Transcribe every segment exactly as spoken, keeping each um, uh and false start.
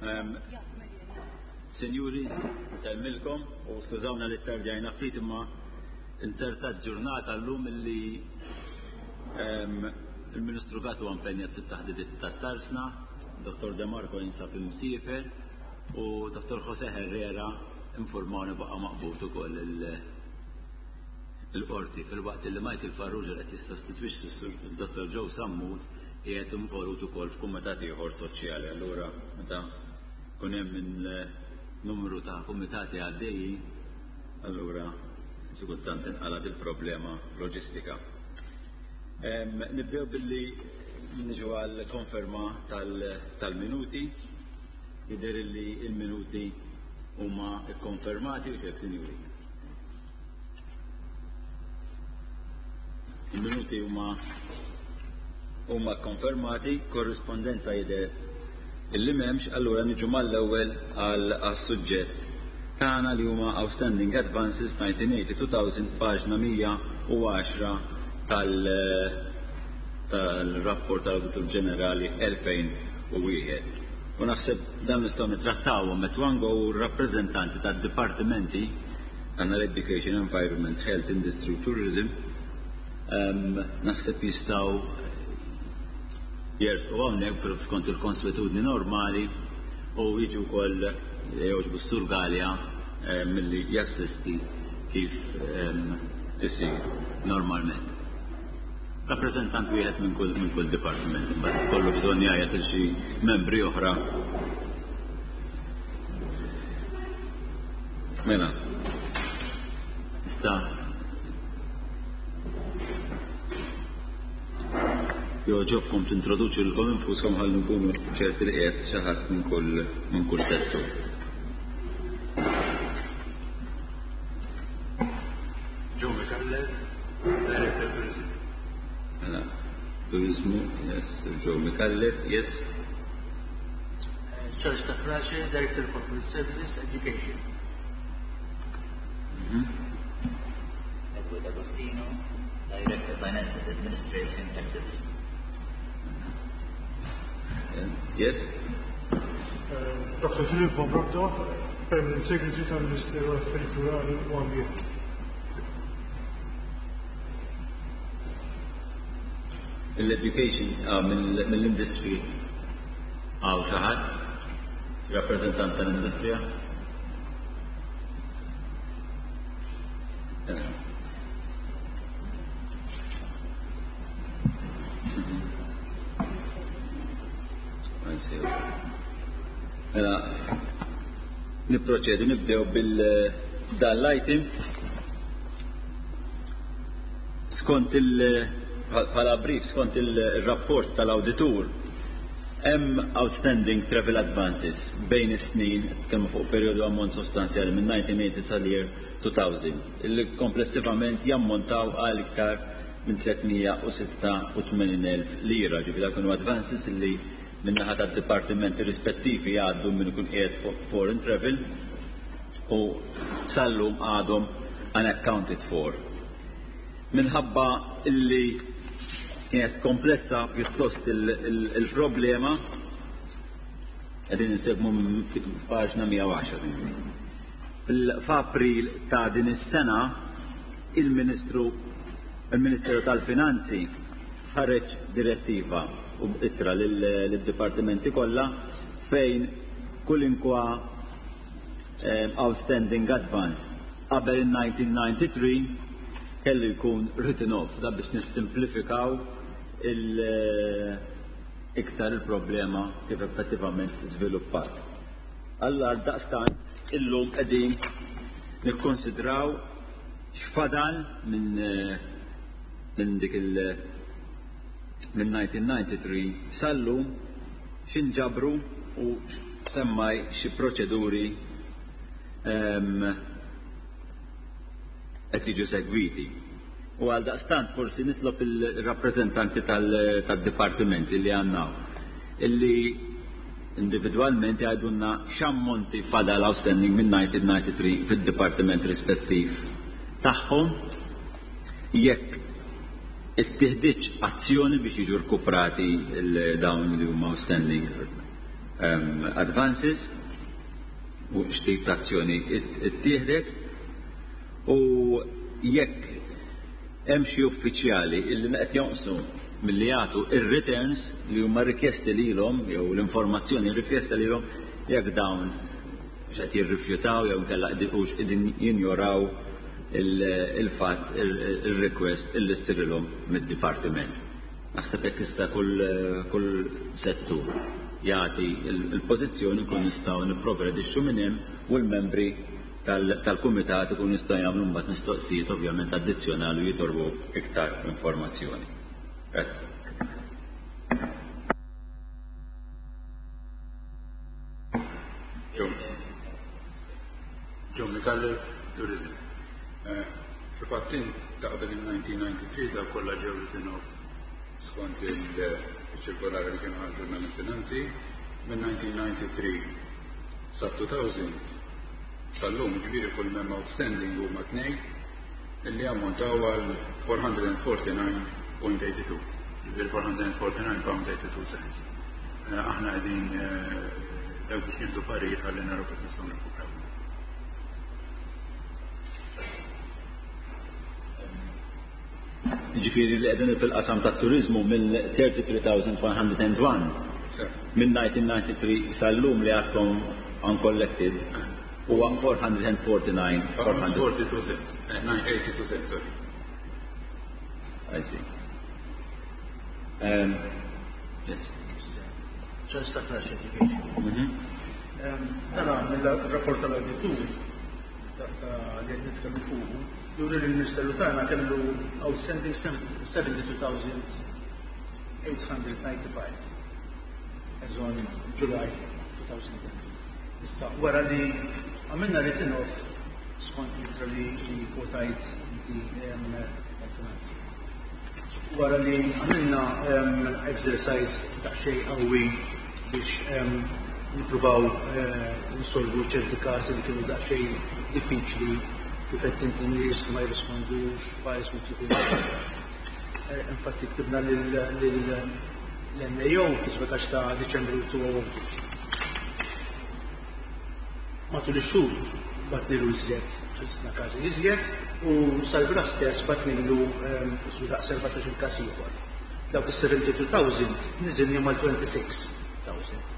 Um, Sinjuri, nsellmilkom u skużawna li ttardjajna ftit, imma inzertat ġurnata llum illi um, il-Ministru Gatt huwa impenjat fit-taħdidiet tat-Tarzna, Dottor De Marco jinsab imsiefer u Dottor Jose Herrera informawni baqa' maqbud ukoll il-qorti, filwaqt li Michael Farrugia qed jissostitwixxi Dottor Joe Sammut, qiegħed involut ukoll f'kumitat ieħor soċjali. Allura meta kun hemm minn numru ta' kumitati għaddejjin, allura xi kultant inqalgħet il-problema loġistika. Nibdew billi niġu għal konferma tal-minuti. Jidher li il-minuti huma kkonfermati u xejn, sinjuri. Il-minuti huma huma konfermati, korrispondenza jidher illi m'hemmx, allura niġu mal-ewwel għal suġġett tagħna li huma Outstanding Advances nineteen eighty two thousand, paġna mija u għaxra tal tal-rapport tal-Awditur Ġenerali elfejn u wieħed. U naħseb dan nistgħu nittrattawhom at one go, u r-rappreżentanti tad-dipartimenti għandna l-Education, Environment, Health, Industry, Tourism, um, naħseb jistgħu jersqu hawnhekk skont il-konswetudni normali u jiġu wkoll jogħġbu s-Sur Galea eh, milli jassisti kif isir normalment. Rappreżentant wieħed minn kull minn kull dipartiment, imbagħad kollu bżonn jgħajjat il xi membri oħra. Mela. Sta jogħġobkom tintroduċu lilkom infuskom ħalli nkunu ċerti li qiegħed xi ħadd minn kull minn kull settur. Joe Micallef, Director Tourism. Mela, turizmu, yes, Joe Micallef, yes. Charles Stafrace, Director Corporate Services, Education. Edward Agostino, Director Finance and Administration, Health Division. Yes. Doctor Philip von Brockdorff, Permanent Secretary tal-Ministeru Affarijiet Rurali u Ambjent. L-education, ah, mill-industry hawn xi ħadd? Rappreżentant tal-industrija? Eh. I see. Mela, niproċedu, nibdew bil dan l-item. Skont il bħala brief, skont il-rapport tal-auditur, hemm outstanding travel advances bejn is-snin, tkellmu fuq perjodu ammont sostanzjali minn nineteen eighty sal-year two thousand, illi komplessivament jammontaw għal iktar minn tliet mija u sitta u tmenin elf lira, ġifieri dak kienu advances illi min-naħa tad-dipartimenti rispettivi għaddu minn ikun qiegħed fuq foreign travel u sallum għadhom unaccounted for. Minħabba illi kienet komplessa pjuttost il-problema, qegħdin insegmu minn paġna mija u għaxra. F'April ta' din is-sena il-Ministru il-Ministeru tal-Finanzi ħareġ direttiva u ittra lid-dipartimenti kollha fejn kulinkwa eh, outstanding advance qabel il-nineteen ninety-three kellu jkun written off, da biex nissimplifikaw il- eh, iktar il-problema kif effettivament żviluppat. Alla daqstant illum qegħdin nikkonsidraw x'fadal minn eh, minn dik il- minn nineteen ninety-three sallum, x'inġabru u semmaj xi proċeduri ehm, qed jiġu segwiti. U għal daqstant forsi nitlob il-rappreżentanti tal-dipartimenti li għandna illi individualment jgħidulna x'ammonti fadal outstanding minn nineteen ninety-three fid-dipartiment rispettiv tagħhom, jekk ittieħditx azzjoni biex jiġu rkuprati dawn li huma outstanding um, advances u x'tip ta' azzjoni ittieħdet u jekk hemm xi uffiċjali illi qed jonqsu milli jagħtu ir-returns li huma rikjesti lilhom jew l-informazzjoni rikjesta lilhom jekk dawn x'qed jirrifjutaw jew inkella hux qegħdin jinjoraw il-fatt il-request illi ssirilhom mid-dipartiment. Naħseb hekk issa kull kull settur jagħti il-pożizzjoni nkun nistgħu nipprogredixxu minn hemm u l-membri tal-kumitat ikun jistgħu jagħmlu mbagħad mistoqsijiet ovvjament addizzjonali u jitolbu iktar informazzjoni. Grazzi. Joe Micallef, Tourism. Fil-fatt ta' qabel il-nineteen ninety-three daw kollha ġew written off skont il-ċirkolari li kienu ħarġulna mill-finanzi. Minn nineteen ninety-three sa two thousand tal-lum ġifieri kull mem outstanding huma tnejn illi ammontaw għal four hundred and forty-nine point eighty-two, ġifieri four hundred and forty-nine pound eighty-two cents. Aħna qegħdin dawk biex nieħdu parir ħalli naraw kif nistgħu nirkupraw. Ġifieri li qegħdin fil-qasam tat-turiżmu mill thirty-three thousand one hundred and one minn nineteen ninety-three sal-lum li għadkom uncollected huwa four hundred and forty-nine four hundred. Forty-two cents, eh, nine eighty-two cents, sorry. I see. Um, yes. Just a flash education. Dana mill-rapport tal-auditur li qed nitkellmu fuqu, juri li l-Ministeru tagħna kellu outstanding seventy-two thousand eight hundred ninety-five as on July two thousand ten. Issa wara li għamilna written off skont l-ittra li kwotajt inti tal-finanzi. Wara li għamilna exercise daqsxejn qawwi biex nippruvaw nsolvu ċerti każi li kienu daqsxejn diffiċli kif qed inti nies ma jirrispondux, files mitlufin. Infatti ktibna lill-N A O fis-sbatax ta' Diċembru two oh two. Matul ix-xhur batnilu iżjed, ħrisna każi iżjed u sal-bra stess batnilu daqs erbatax-il każ ieħor. Dawk is-seventy-two thousand niżilni mal twenty-six thousand.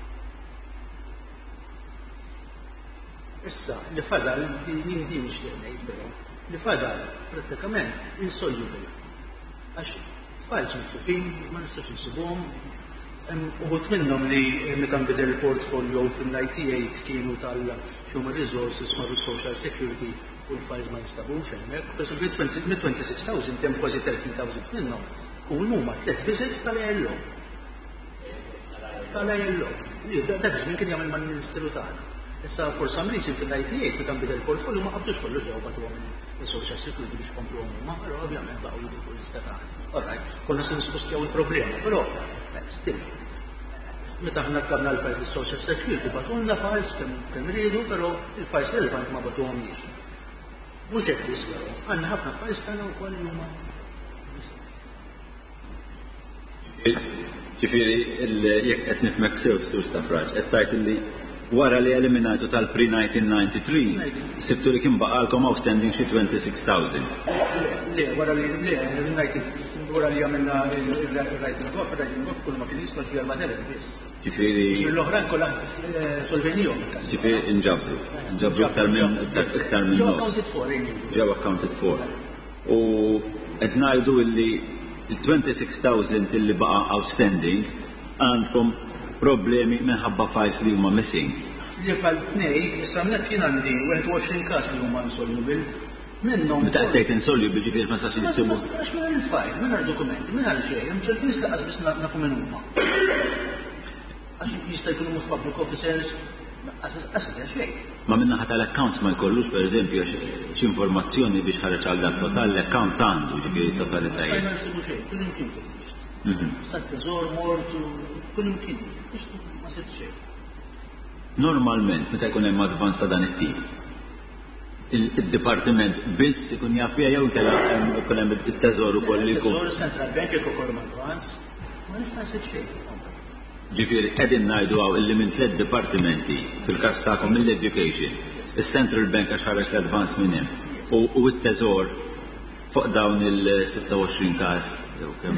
Issa, li fadal, din din nixtieq ngħid però, li fadal prattikament insoluble. Għax files mitlufin, ma nistax insibuhom. Uħud minnhom li meta nbidel il-portfolio fil-ninety-eight kienu tal-Human Resources marru Social Security u l-files ma jinstabux hemmhekk. Per esempio, minn twenty-six thousand hemm kważi thirteen thousand minnhom. U huma tliet visits tal-I L O. Tal-I L O. Li dak żmien kien jagħmel mal-Ministeru tagħna. Issa for some reason fil-ninety-eight meta nbidel il-portfolio ma qabdux kollox ġew bagħtuhom il-Social Security biex kompluhom huma, però ovvjament baqgħu jidhru fuq l-lista tagħna. All right, konna se nispostjaw il-problema, però still. Meta aħna tlabna l-files lis-Social Security bagħtulna files kemm kemm riedu, però il-files relevanti ma bagħtuhomniex. Mhux hekk biss però, għandna ħafna files tagħna wkoll li huma. Ġifieri jekk qed nifhmek sew Sur Stafrace, qed tgħid illi wara li eliminajtu tal-pre nineteen ninety-three, sibtu li kien baqalkom outstanding xi twenty-six thousand. Le, wara li, le, wara li għamilna il-writing off, il-writing off kull ma kien jiswa xi erba' telef biss. Ġifieri L-oħrajn kollha solvenihom. Ġifieri inġabru, inġabru iktar minn iktar minn Ġew nofs. accounted for, anyway. Ġew accounted for. U qed ngħidu illi il-twenty-six thousand illi baqa' outstanding għandkom problemi minħabba files li huma missing. Li fal tnej, issa hawnhekk jien għandi wieħed u għoxrin każ li huma insoluble. Minnhom Meta qed tgħid insoluble ġifieri ma sax jistimu. Għax mingħajr il-file, mingħajr dokumenti, mingħajr xejn, hemm ċerti nies laqas biss nafu min huma. Għax jista' jkunu mhux public officers, laqas xejn. Ma min-naħa tal-accounts ma jkollux pereżempju xi informazzjoni biex ħareġ għal dak total, l-accounts għandu ġifieri totalitajiet. Ma nsibu xejn, kull imkien fittixt. Mhm. Sa teżor mort, kull imkien fittixt ma sibt xejn. Normalment meta jkun hemm advance ta' dan it-tip, il-dipartiment biss ikun jaf biha jew inkella ikun hemm it-teżor ukoll li jkun. Teżor, Central Bank jekk ukoll advance, ma nista' nsib xejn. Ġifieri qegħdin ngħidu hawn illi minn tliet dipartimenti fil-każ tagħkom mill-Education, is-Central Bank għax ħareġ l-advance minn hemm u u t-Teżor fuq dawn il-sitta u għoxrin każ jew kemm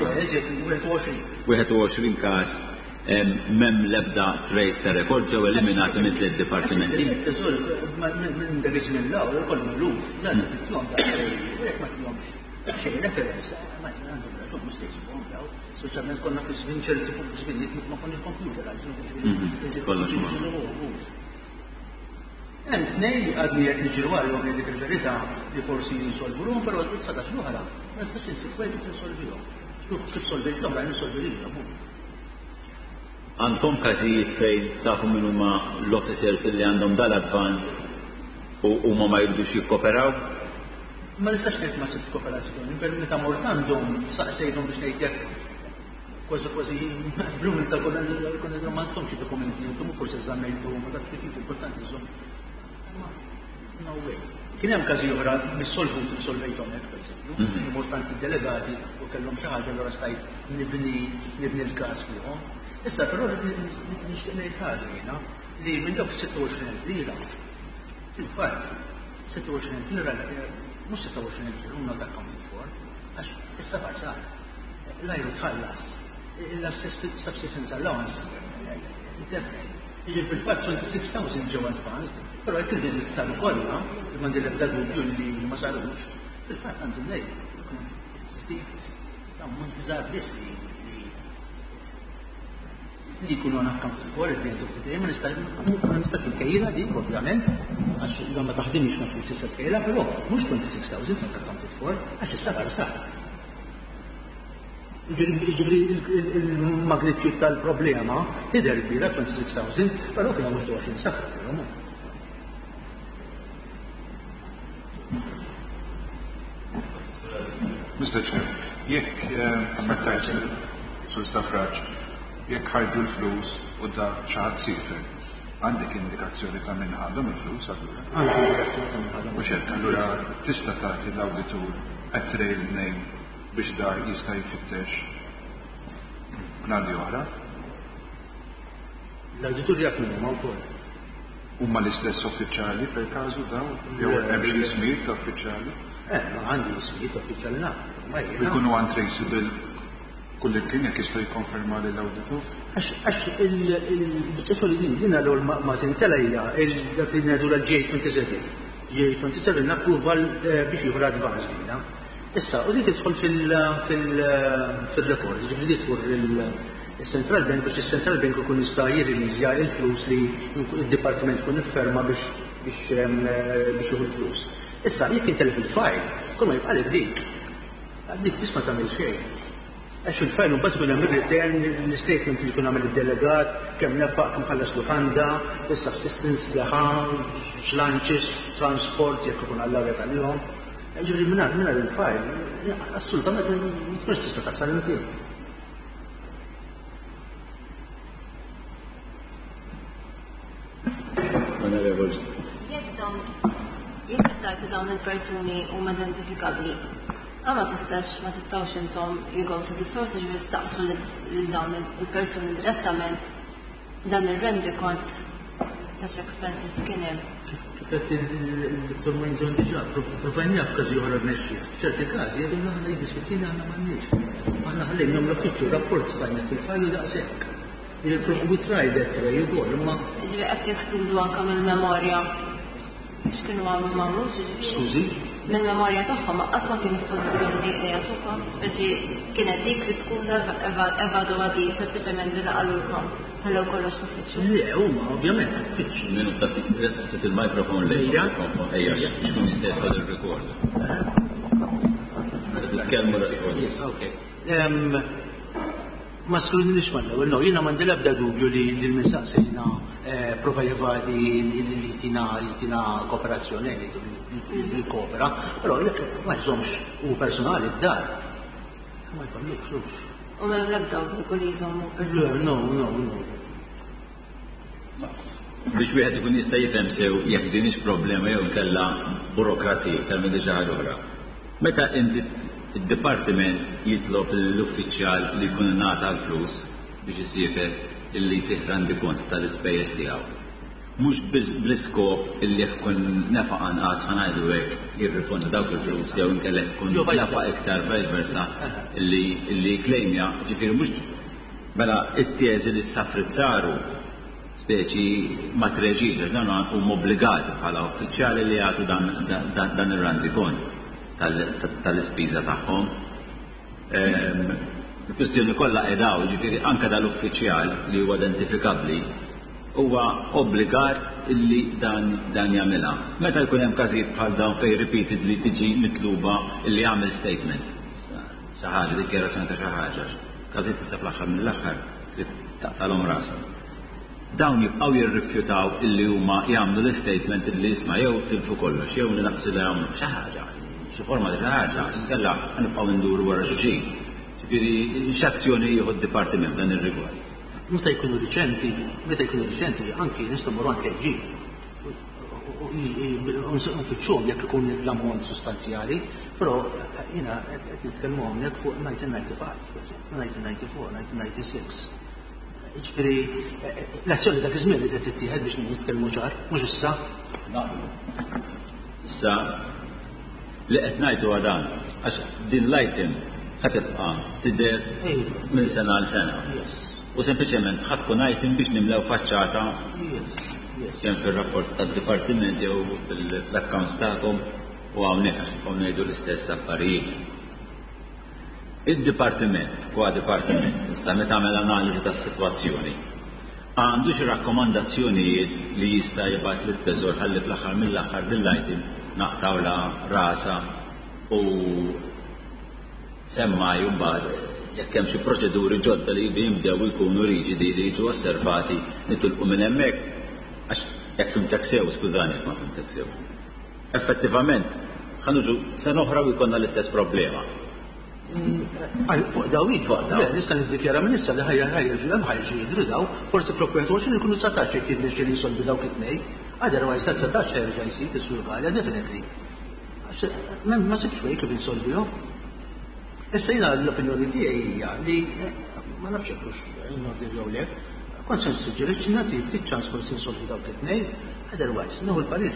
wieħed u għoxrin każ m'hemm l-ebda trace ta' rekord ġew eliminati minn tliet dipartimenti. Il-Teżor minn dak iż-żmien l hawn ukoll miluf, la titihom daqsxejn, jekk ma tihomx xejn referenza, ma għandhom raġun mhux se jsibuhom daw, speċjalment konna fi żmien ċerti żminijiet meta ma konniex computerized, Kollox ma. Hemm tnejn li għadni qed niġru għalihom li dik il-verità li forsi jinsolvu ruhom, però dsatax l-oħra ma nistax insib wieħed kif insolvihom. Kif solvejt l-oħra insolvi lilhom. Għandkom każijiet fejn tafu min huma l-officers li għandhom dal-advance u huma ma jridux jikkoperaw? Ma nistax ngħid ma sibx kooperazzjoni, per meta mort għandhom saqsejthom biex ngħid jekk kważi kważi bl-umiltà konna konna ma għandkomx xi dokumenti, intom forsi żammejtu, ma tafx kif jiġu importanti żomm. No way. Kien hemm każi oħra mis-solvut solvejthom hekk, pereżempju, mort għand id-delegati u kellhom xi ħaġa allura stajt nibni nibni l-każ fuqhom. Issa però nixtieq ngħid ħaġa jiena li minn dawk sitta u għoxrin elf lira, fil-fatt sitta u għoxrin elf lira mhux sitta u għoxrin elf lira not accounted for, għax is-safar sar. L-ajru tħallas, il-subsistence allowance intefqet. Jiġifieri fil-fatt twenty-six thousand ġew advanced, però jekk il-visits saru kollha, li m'għandi l-ebda dubju li ma sarux, fil-fatt għandu ngħid ftit ammonti żgħar biss li li jkunu unaccounted for at the end of the day, ma nistax inkejjilha dik ovvjament, għax iżda ma taħdimx ma tfisser se tkejjilha, però mhux twenty-six thousand not accounted for, għax is-safar sar. Jiġifieri il-magnitude tal-problema tidher kbira twenty-six thousand, però kien hemm wieħed u għoxrin safar però. Mister Chair, jekk aspettajt Sur Stafrace, jekk ħarġu l-flus u da xi ħadd siefer, għandek indikazzjoni ta' min ħadhom il-flus allura? Għandi indikazzjoni ta' min ħadhom. Mhux hekk, allura tista' tagħti l-awditur a trail name biex da jista' jfittex bnadi oħra? L-awditur jaf min huma wkoll. Huma l-istess uffiċjali per każu daw? Jew Le, hemm xi le. ismijiet ta' uffiċjali? Eh, ma għandi ismijiet ta' uffiċjali naf. Ma jiena. Jkunu untraceable kull imkien jekk jista' jikkonferma lil awditur? Għax, għax il-biċċa xogħol din, din allura ma, ma tintela hija dak li ngħidu l-J twenty-seven. J twenty-seven l-approval, eh, biex jieħu l-advance dina. Issa, u di tidħol fil-, fil-, fil-rekord, ġifieri di tmur il-Central Bank biex il-Central Bank ikun jista' jirriliżja il-flus li il-Dipartiment ikun ifferma biex, biex, ehm, biex jieħu l-flus. Issa, jekk intelef il-file, kull ma jibqalek dik. Dik biss ma tagħmel xejn. Għax il-file mbagħad ikun hemm ir-return, l-statement li jkun għamel id-delegat, kemm nefaq, kemm ħallas lukanda, is-subsistence li ħa, x'lunches, transport, jekk ikun għall-arja tal-jum. Ġifieri mingħajr, mingħajr il-file, assolutament ma tkunx tista' taqsar imkien. Onorevoli. Jekk dawn, jekk tgħid li dawn il-persuni huma identifikabbli, ma ma tistax, ma tistgħux intom you go to the source, ġifieri staqsu lil dawn il-persuni direttament dan ir-rendikont ta' x'expenses kien hemm. Kif qed il-Dottor Mangion diġà, provajnija f'każi oħra rnexxiet. F'ċerti każi jgħidulna aħna jiddispjaċina aħna m'għandniex. Aħna ħallejna l-uffiċċju rapport stajna fil-fajl u daqshekk. We tried that way ukoll, imma Ġifieri qed jeskludu anke mill-memorja x'kienu għamlu m'għamlux, ġifieri. Skużi? Mill-memorja tagħhom qas ma kienu f'pożizzjoni li jagħtukom, speċi kienet dik l-iskuża eva-, evadu għadi sempliċement billi qalulkom ħallew kollox l-uffiċċju. Le, huma ovvjament l-uffiċċju. Minu ta' ftit, resaq ftit il-mikrofon lejn Ejja. il-mikrofon, ejja, x'kun jista' jidħol il-rekord. Titkellmu resqod. Yes, okay. Em, ma skludinix mal-ewwel, no, jiena m'għandi l-ebda dubju li l-minsaqsejna, eh, prova jevadi li tina, li tina kooperazzjoni, li, li, li koopera, però jekk ma jżommx u personali d-dar, ma jkollux, hux. U m'hemm l-ebda obbligu li jżommu personali? Le, no, no, no. Biex wieħed ikun jista' jifhem sew jekk din hix problema jew kellha burokrazija, kellha xi ħaġa oħra. Meta inti id-dipartiment jitlob l-uffiċjal li jkun ingħata l-flus biex isiefer illi jtih rendikont tal-ispejjeż tiegħu. Mhux bl-iskop illi jkun nefaq anqas, ħa ngħidu hekk, jirrifonda dawk il-flus, jew inkella jkun nefaq iktar, vice versa, illi illi klejmja, ġifieri mhux mela it-teżi li s-safrit saru speċi ma treġiġ, għax dawn huma obbligati bħala uffiċjali li jagħtu dan, dan, dan ir-rendikont tal-ispiża tagħhom. Ehm, il-kwistjoni kollha qedaw, ġifieri anke dal-uffiċjal li huwa identifikabbli huwa obbligat illi dan, dan jagħmilha. Meta jkun hemm każijiet bħal dawn fejn repeatedly tiġi mitluba illi jagħmel statement, xi ħaġa, dikjarazzjoni ta' xi ħaġa, każijiet issa fl-aħħar mill-aħħar trid taqtalhom rashom. Dawn jibqgħu jirrifjutaw illi huma jagħmlu l-statement illi isma' jew tilfu kollox jew naqsu li jagħmlu xi ħaġa, xi forma ta' xi ħaġa, inkella nibqgħu nduru wara xulxin. Ġifieri x'azzjoni jieħu d-dipartiment dan ir-rigward? Meta jkunu riċenti, meta jkunu riċenti, anki nistgħu mmorru għand l-A G. Nfittxuhom jekk ikun l-ammont sostanzjali, però jiena qed nitkellmu hawnhekk fuq elf disa' mija u disgħa u disgħin, per eżempju, elf disa' mija u disgħa u erbgħin, elf disa' mija u disgħa u disgħin. Ġifieri l-azzjoni dak iż-żmien li qed tittieħed, biex nitkellmu ċar, mhux issa. Issa li qed ngħidu dan, għax din l-item ħa tibqa' tidher minn sena għal sena. U sempliċement ħa tkun item biex nimlew faċċata kemm fir-rapport tad-dipartiment jew fil-accounts tagħkom u hawnhekk, għax nibqgħu ngħidu l-istess affarijiet. Id-dipartiment, kwa dipartiment, issa meta għamel analiżi tas-sitwazzjoni, għandu xi rakkomandazzjonijiet li jista' jibgħat lit-teżor ħalli fl-aħħar mill-aħħar din l-item naqtawla rasa u semmaj mbagħad jekk hemm xi proċeduri ġodda li jridu jinbdew jkunu riġidi li jiġu osservati, nitilqu minn hemmhekk, għax jekk fhimtek sew, skużani jekk ma fhimtek sew. Effettivament, ħa niġu sena oħra u jkollna l-istess problema. Fuq daw iva. Fuq daw. Le, nista' niddikjara minn issa li ħajja ħajja hemm ħajġu jidhru daw, forsi flok wieħed u għoxrin ikunu dsatax jekk jirnexxieli jinsolvi dawk it-tnejn. Otherwise ta' dsatax ħerġa' jsib is-Sur Galea, definitely. Għax, Ma ma sibx way kif insolvihom. Issa jiena l-opinjoni tiegħi hija li eh, ma nafx jekk hux in order jew le, kont se nissuġġerixxi nagħti ftit ċans forsi insolvi dawk it-tnejn, otherwise nieħu l-parir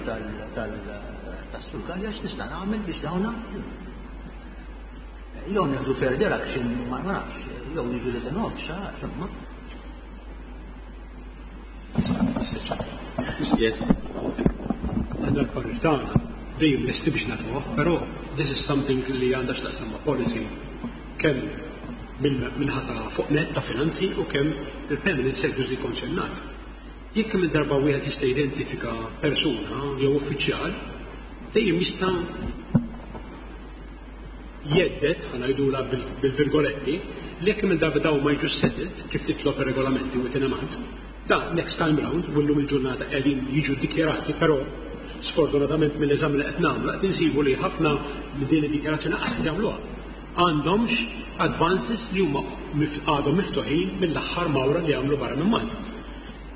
tal-Sur Galea x'nista' nagħmel biex dawna jew nieħdu further action, ma nafx, jew jiġu written off, xa, ma. Yes. Għandna l-parir tagħna dejjem lesti biex nagħtuh, però this is something li għandha x'taqsam ma' policy kemm minħata fuq net ta' finanzi u kemm il-permanent secretary konċernat. Jekk kemm il-darba wieħed jista' identifika persuna jew uffiċjal, dejjem jista' jhedded, ħa ngħidula bil-virgoletti, li jekk kemm il-darba dawn ma jiġux settled kif titlob ir-regolamenti u amount, da next time round, u llum il-ġurnata qegħdin jiġu dikjarati, però sfortunatament mill-eżami li qed nagħmlu qed insibu li ħafna minn din id-dikjarazzjoni qas qed jagħmluha. Għandhomx advances li huma għadhom miftuħin mill-aħħar mawra li għamlu barra minn Malta.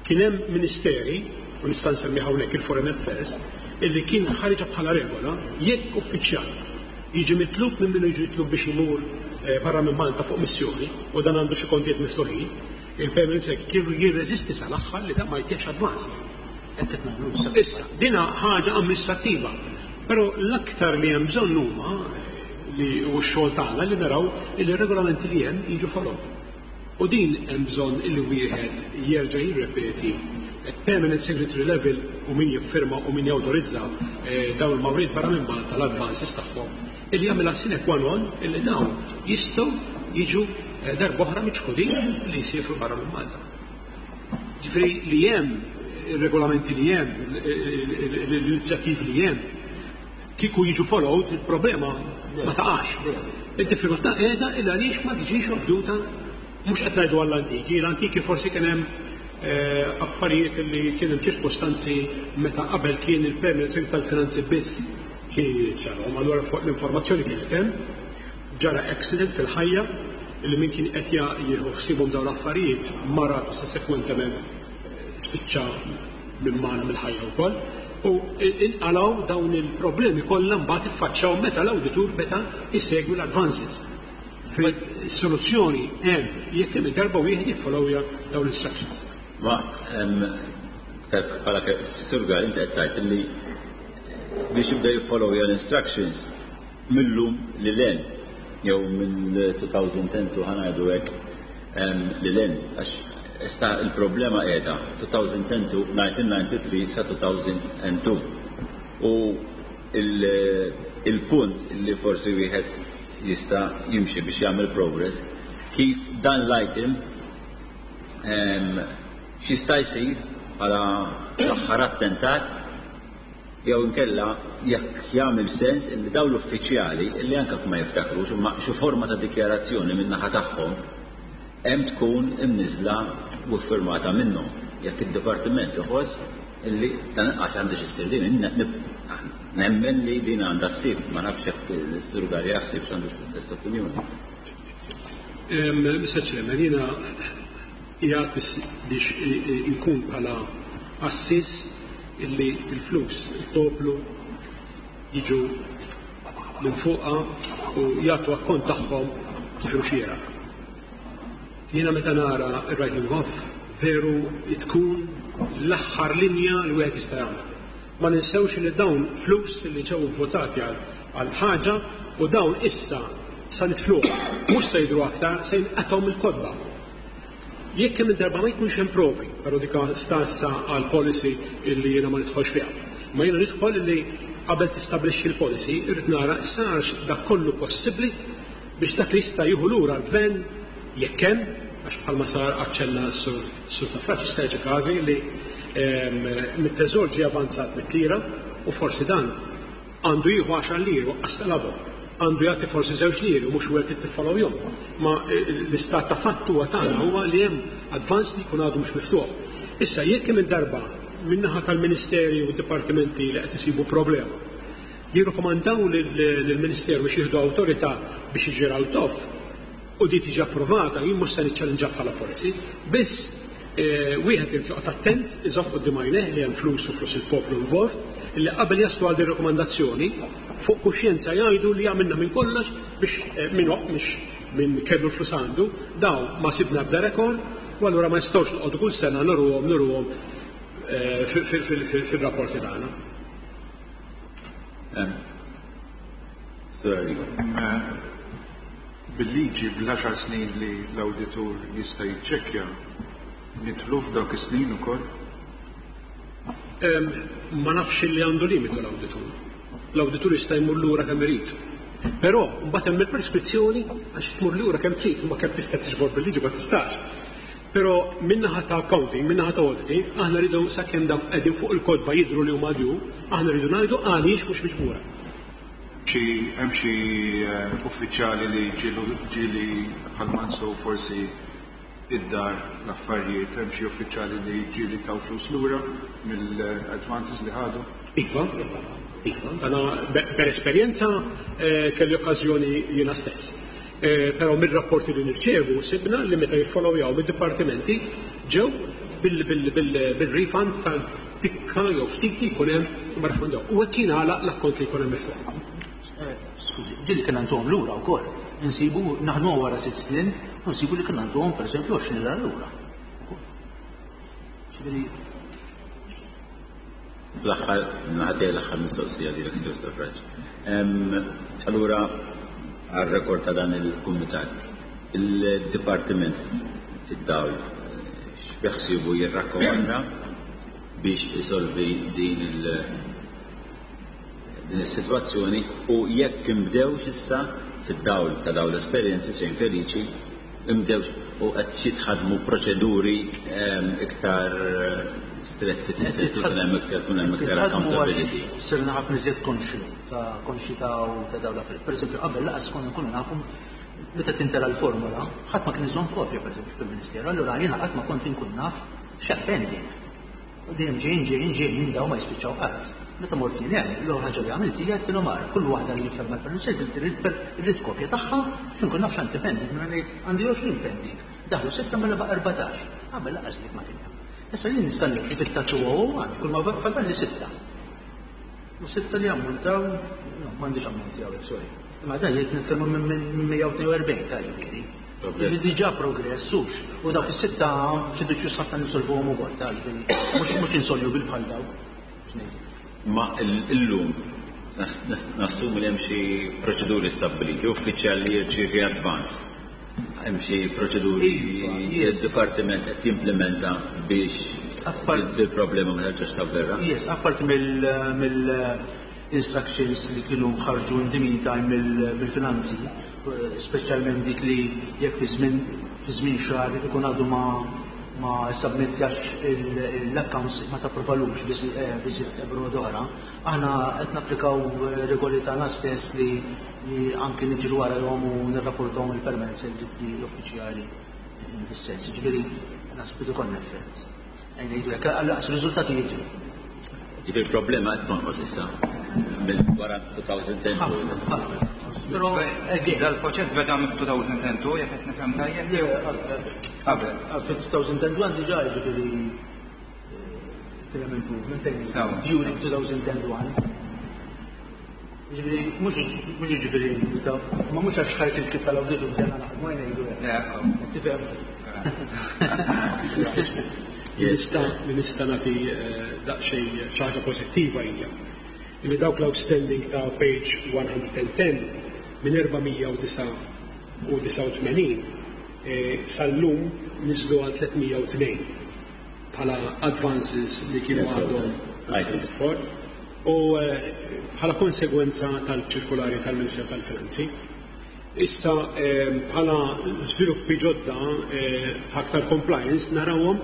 Kien hemm ministeri, u nista' nsemmi hawnhekk il-Foreign Affairs, illi kien ħariġa bħala regola jekk uffiċjal jiġi mitlub minn minnu jiġi mitlub biex imur eh, barra minn Malta fuq missjoni u dan għandu xi kontijiet miftuħin, il-permanent secretary kien jirreżisti sal-aħħar li dan ma jtiex advance. Hekk qed nagħmlu issa. Issa, dina ħaġa amministrattiva, però l-aktar li hemm bżonn huma li u x-xogħol tagħna li naraw li r-regolamenti li hemm jiġu follow. U din hemm bżonn illi wieħed jerġa' jirrepeti at permanent secretary level u min jiffirma u min jawtorizza eh, dawn il-mawrid barra minn Malta l-advances tagħhom illi jagħmilha sine qua non illi dawn jistgħu jiġu eh, darb'oħra miċħudin li jsifru barra minn Malta. Ġifieri li hemm ir-regolamenti li hemm, l-inizjattivi li hemm, kieku jiġu followed, il-problema ma taqax. Id-diffikultà qiegħda il għaliex ma tiġix obduta, mhux qed ngħidu għall-antiki, l-antiki forsi kien hemm eh, affarijiet li kien hemm ċirkostanzi meta qabel kien il-permanent secretary tal-finanzi biss kien jinizjalhom, allura fuq l-informazzjoni kienet hemm, ġara accident fil-ħajja li min kien qed jieħu ħsiebhom dawn l-affarijiet marad u sussekwentement spiċċa minn magħna mill-ħajja wkoll. U inqalaw dawn il-problemi kollha mbagħad iffaċċjaw meta l-awditur meta jsegwi l-advances. Soluzzjoni hemm jekk hemm darba wieħed jiffollowja dawn l-instructions. Ma bħala Sur Gal, inti qed tgħid li biex jibda jiffollowja l-instructions millum lil hinn jew minn elfejn u tnax, ħa ngħidu hekk, lil hinn, għax issa il-problema qiegħda elfejn u tnax, elf disa' mija disgħa u disgħin sa elfejn u tnejn u il-punt li forsi wieħed jista' jimxi biex jagħmel progress kif dan l-item x'jista' jsir bħala l-aħħar attentat jew inkella jekk jagħmel sens illi dawn l-uffiċjali illi anke ma jiftakrux, imma xi forma ta' dikjarazzjoni min-naħa tagħhom hemm tkun imniżla u firmata minnhom jekk id-dipartiment iħoss illi dan inqas għandha issir din. Nemmen li din għandha ssir, ma nafx jekk is-Sur Gal jaħsib x'għandu l-istess opinjoni. Mister Chairman, jiena qiegħed biex inkun bħala assis illi il-flus il-poplu jiġu minn fuqa u jagħtu akkont tagħhom kif xieraq. Jiena meta nara il-writing off, veru tkun l-aħħar linja li wieħed jista' jagħmel. Ma ninsewx li dawn flus li ġew votati għal ħaġa u dawn issa sa nitfluh, mhux se jidru aktar, se jinqatgħu mill-kotba. Jekk hemm darba ma jkunx hemm provi, però dika stassa għal policy illi jiena ma nidħolx fiha. Ma jiena nidħol illi qabel tistabbilixxi l-policy, irrid nara sarx dak kollu possibbli biex dak li jista' jieħu lura l-gvern jekk hemm, għax bħalma sar aċċenna s-Sur Stafrace, jista' jiġi każi li mit-teżor ġie avanzat mitt lira u forsi dan għandu jieħu għaxar liri u talabhom. Għandu jagħti forsi żewġ liri u mhux wieħed tiffollowjhom. Ma l-istat ta' fatt huwa tagħna huwa li hemm advance li jkun għadu mhux miftuħ. Issa jekk hemm darba min-naħa tal-Ministeri u d-dipartimenti li qed isibu problema, jirrikomandaw lill-Ministeru biex jieħdu awtorità biex jiġi write off u di tiġi approvata, jien mhux se niċċallenġa bħala policy, biss wieħed irid joqgħod attent, iżomm quddiem għajnejh li hemm flus u flus il-poplu involved, illi qabel jaslu għal din rakkomandazzjoni fuq kuxjenza jgħidu li għamilna minn kollox biex minn mhix minn kellu l-flus għandu, daw ma sibna bda rekord, u allura ma nistgħux noqogħdu kull sena nuruhom nuruhom fil-rapporti tagħna. Sur Arrigo. Bil-liġi bl-għaxar snin li l-awditur jista' jiċċekkja, nidħlu f'dawk is-snin ukoll? Ma nafx li għandu limitu l-awditur. L-awditur jista' jmur lura kemm irid. Però mbagħad hemm il-preskrizzjoni, għax tmur lura kemm trid, ma kemm tista' tiġbor bil-liġi ma tistax. Però min-naħa ta' accounting, min-naħa ta' auditing, aħna rridu sakemm dak qegħdin fuq il-kotba jidhru li huma due, aħna rridu ngħidu għaliex mhux miġbura. Xi hemm xi uffiċjali li ġieli bħal mansu forsi id-dar l-affarijiet, hemm xi uffiċjali li ġieli taw flus lura mill-advances li ħadu? Iva, iva, għana per esperjenza kelli okkażjoni jiena stess. Però mill-rapporti li nirċevu sibna li meta jiffollowjaw mid-dipartimenti ġew bil-refund tal-tikka jew ftit li jkun hemm u ma refundaw. U hekk kien għalaq l-akkont li jkun hemm miftuħ. Skużi, ġieli kien għandhom lura wkoll. Insibu naħdmu wara sitt snin u nsibu li kien għandhom pereżempju għoxrin lira lura. Ġifieri L-aħħar, naħdej l-aħħar mistoqsija lilek, Sur Stafrace. Allura, għal-rekord ta' dan il-kumitat, il-Dipartiment fid-dawl x'beħsibu jirrakkomanda biex isolvi din il- din is-sitwazzjoni u jekk imbdewx issa fid-dawl ta' dawn l-esperjenzi xejn feliċi, imbdewx u qed jitħadmu proċeduri iktar stretti fis-sens li hemm iktar kun hemm iktar accountability? Sirna ħafna iżjed konxi ta' konxi ta' u ta' dawn l-affarijiet. Per eżempju, qabel laqas konna nkunu nafu meta tintela l-formula, ħadd ma kien iżomm kopja pereżempju fil-Ministeru, allura jiena qatt ma kont inkun naf x'hemm pending. U dejjem ġejjin ġejjin ġejjin daw ma jispiċċaw qatt. Meta mort jien hemm, l-ewwel ħaġa li għamilt hija għedtilhom ara, kull waħda li jifhem mal-permess irrid kopja tagħha biex inkun naf x'għandi pending, mela ngħid għandi għoxrin pending. Daħlu sitta mela baqa' erbatax. Qabel laqas dik ma kien hemm. Issa jien nista' nimxi fit-taċ u għandi kull ma fadalli sitta. U sitta li ammontaw, no, m'għandix ammonti hawnhekk, sorry. Ma dan jgħid nitkellmu minn mija u tnejn u erbgħin ta' ġifieri. Diġà progress, hux. U dawk is-sitta fiduċju ħafna nisolvuhom ukoll ta' ġifieri. Mhux mhux insoluble bħal dawk. Ma illum nassum li hemm xi proċeduri stabbiliti, uffiċjal li jirċievi advance. Hemm xi proċeduri li d-dipartiment qed jimplementa biex il-problema ma terġax tavverra. Yes, apparti mill-instructions li kienu ħarġu in the meantime mill-finanzi, speċjalment dik li jekk fi żmien xahar ikun għadu ma ma submitjax l-accounts ma tapprovalux visit abroad oħra, aħna qed napplikaw regoli tagħna stess li anki niġru warahom u nirrapportawhom il-permanent secretary uffiċjali in this sense. Ġifieri naħseb li konna effett. Ngħidu hekk, għal riżultati jiġru. Ġifieri il-problema qed tonqos issa mill wara two thousand and two. Ħafna, ħafna. Però again, dal-proċess beda minn two thousand and two, jekk qed nifhem tajjeb? Le, qabel. Fi two thousand and one diġà ġifieri kien hemm improvement during two thousand and one. Ġifieri mhux mhux ġifieri ma mhux għax ħareġ il-ktieb tal-awditur bdejna naħdmu ngħidu hekk. Tifhem? Nista' nista' nagħti daqsxejn xi ħaġa pożittiva hija li dawk l-outstanding ta' page one hundred and ten minn erba' mija u disa' u disa' u tmenin sal-lum niżlu għal tliet mija u tnejn bħala advances li kienu għadhom accounted for u bħala konsegwenza tal-ċirkulari tal-Ministeru tal-Finanzi. Issa bħala żviluppi ġodda ta' aktar compliance narawhom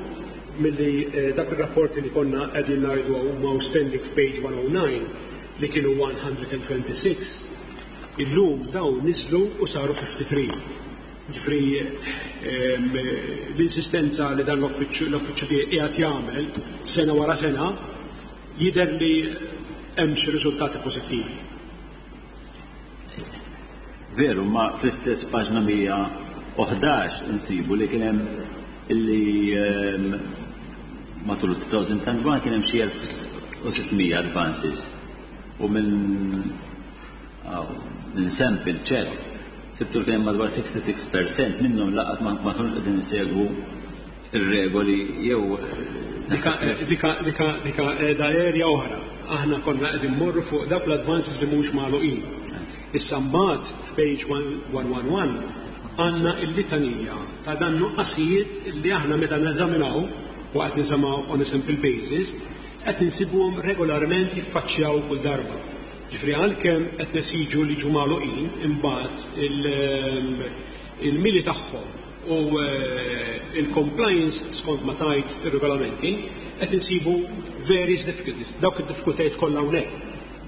milli dak ir-rapporti li konna qegħdin ngħidu huma outstanding f'page one oh nine li kienu one hundred and twenty-six, illum dawn niżlu u saru fifty-three. Ġifri l-insistenza li dan l-uffiċċju tiegħi qiegħed jagħmel sena wara sena jidher li hemm xi riżultati pożittivi. Veru, ma fl-istess paġna mija u ħdax insibu li kien hemm illi matul two thousand and one kien hemm xi elf u sitt mija advances u minn minn sample check sibtu li kien hemm madwar sixty-six percent minnhom laqat ma kinux qegħdin isegwu ir-regoli jew Dika, dika, dika, dika qiegħda area oħra. Aħna konna qegħdin mmorru fuq dawk l-advances li mhux magħluqin. Issa mbagħad f'page one one one għandna l-litanija ta' dan nuqqasijiet li aħna meta neżaminaw u qed niżamaw on a simple basis qed insibuhom regolarment jiffaċċjaw kull darba. Ġifri għalkemm qed nesiġu li ġu magħluqin imbagħad il-mili tagħhom u il-compliance skont ma tajt ir-regolamenti qed insibu various difficulties, dawk id-diffikultajiet kollha hawnhekk.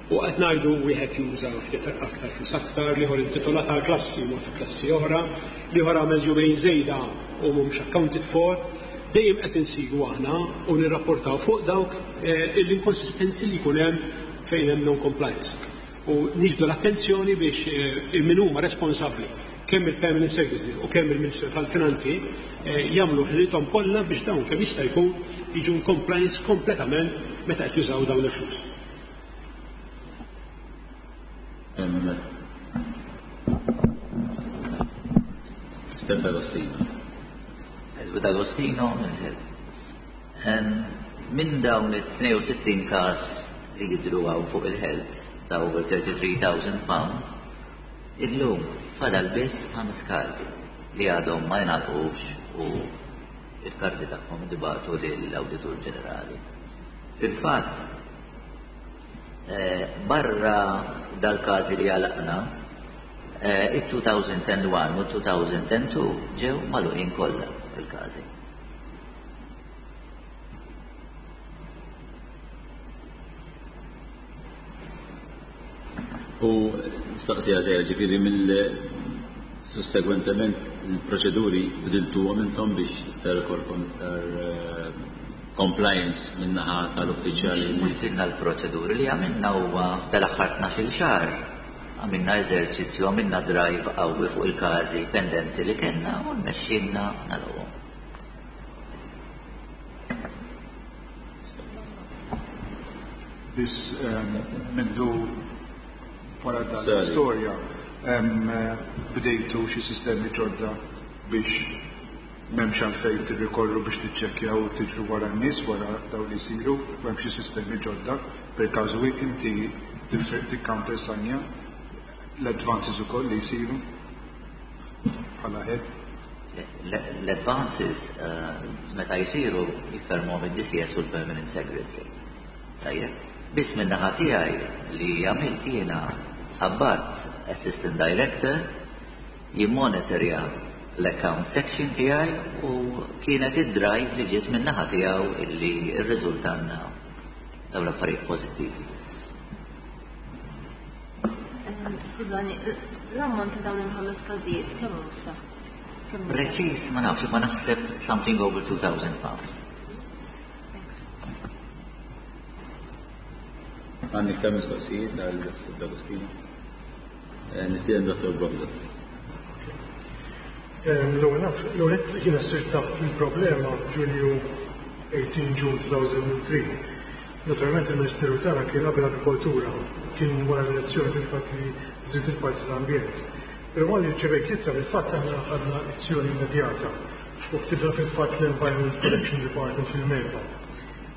U qed ngħidu wieħed juża ftit aktar flus aktar, l-ieħor intitolat għal klassi u fi klassi oħra, l-ieħor għamel jumejn żejda u mhumiex accounted for. Dejjem qed insibu aħna u nirrapportaw fuq dawk l-inkonsistenzi li jkun hemm fejn hemm non-compliance. U niġbdu l-attenzjoni biex il-min huma responsabbli kemm il-Permanent Secretary u kemm il-Ministeru tal-Finanzi jagħmlu ħilithom kollha biex dawn kemm jista' jkun jiġu in compliance kompletament meta qed jużaw dawn il-flus. Mister D'Agostino. Edward D'Agostino mill-Health. Minn dawn it-tnejn u sittin każ li jidhru hawn fuq il-Health ta' over thirty-three thousand pounds, illum fadal biss ħames każi li għadhom ma jingħalqux u il-karti tagħhom dibatu lill-Awditur Ġenerali. Fil-fatt, barra dal-każi li għalaqna, it-two thousand and one u two thousand and two ġew magħluqin kollha il-każi. U mistaqsija żgħira, ġifieri mill sussegwentement il-proċeduri bdiltuhom intom biex iktar ikolkom iktar compliance min-naħa tal-uffiċjali? Mhux bdilna l-proċeduri, li għamilna huwa tal-aħħar tnax-il xahar għamilna eżerċizzju, għamilna drive qawwi fuq il-każi pendenti li kellna u rnexxielna nagħlquhom. Biss mindu wara dan Sorry. l-istorja, Bdejtu xi sistemi ġodda biex m'hemmx għalfejn tirrikorru biex tiċċekkjaw u tiġru wara n-nies wara dawn li jsiru, u hemm xi sistemi ġodda per każu inti tikcountersanja l-advances ukoll li jsiru bħala head. L-advances meta jsiru jiffirmhom id-D C S u l-Permanent Secretary. Tajjeb, biss min-naħa tiegħi li għamilt jiena, qabbadt Assistant Director jimmonitorja l-account section tiegħi u kienet id-drive li ġiet min-naħa tiegħu illi rriżultanna dawn l-affarijiet pożittivi. Skużani, l-ammont ta' dawn il-ħames każijiet kemm hu issa? Preċis ma nafx, ma naħseb something over two thousand pounds. Thanks. Għandi iktar mistoqsijiet għal D'Agostino? Nistieden Dottor Brogdon. L-ewwel naf, l-ewwel jiena sirt naf il-problema Ġunju eighteen June two thousand three. Naturalment il-Ministeru tagħna kien qabel agrikoltura, kien wara l-elezzjoni fil-fatt li żied il-parti l-ambjent. Però malli rċevejt l-ittra, fil-fatt aħna ħadna azzjoni immedjata u ktibna fil-fatt l-Environment Protection Department fil-MEPA.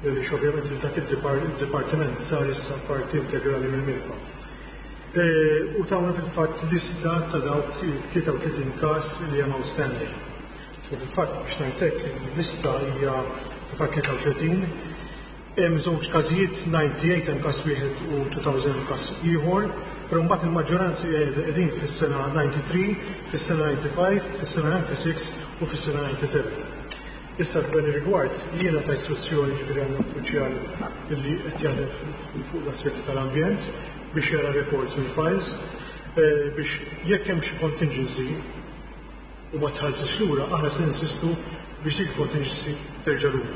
Għaliex ovvjament dak id-dipartiment sar issa parti integrali mill-MEPA. U tawna fil-fatt lista ta' dawk tlieta u tletin każ li hemm outstanding. U fil-fatt biex ngħidlek, il-lista hija fil-fatt tlieta u tletin. Hemm żewġ każijiet, disgħa u tmenin hemm każ wieħed u elfejn każ ieħor, però mbagħad il-maġġoranza qegħdin fis-sena disgħa u tnejn, fis-sena disgħa u ħamsa, fis-sena disgħa u sebgħa u fis-sena disgħa u sebgħa. Issa f'dan ir-rigward jiena ta' istruzzjoni, ġifieri għandna uffiċjal li qed jaħdem fuq l-aspetti tal-ambjent biex jara records mill-files biex jekk hemm xi contingency u ma tħallsix lura, aħna se ninsistu biex dik contingency terġa' lura.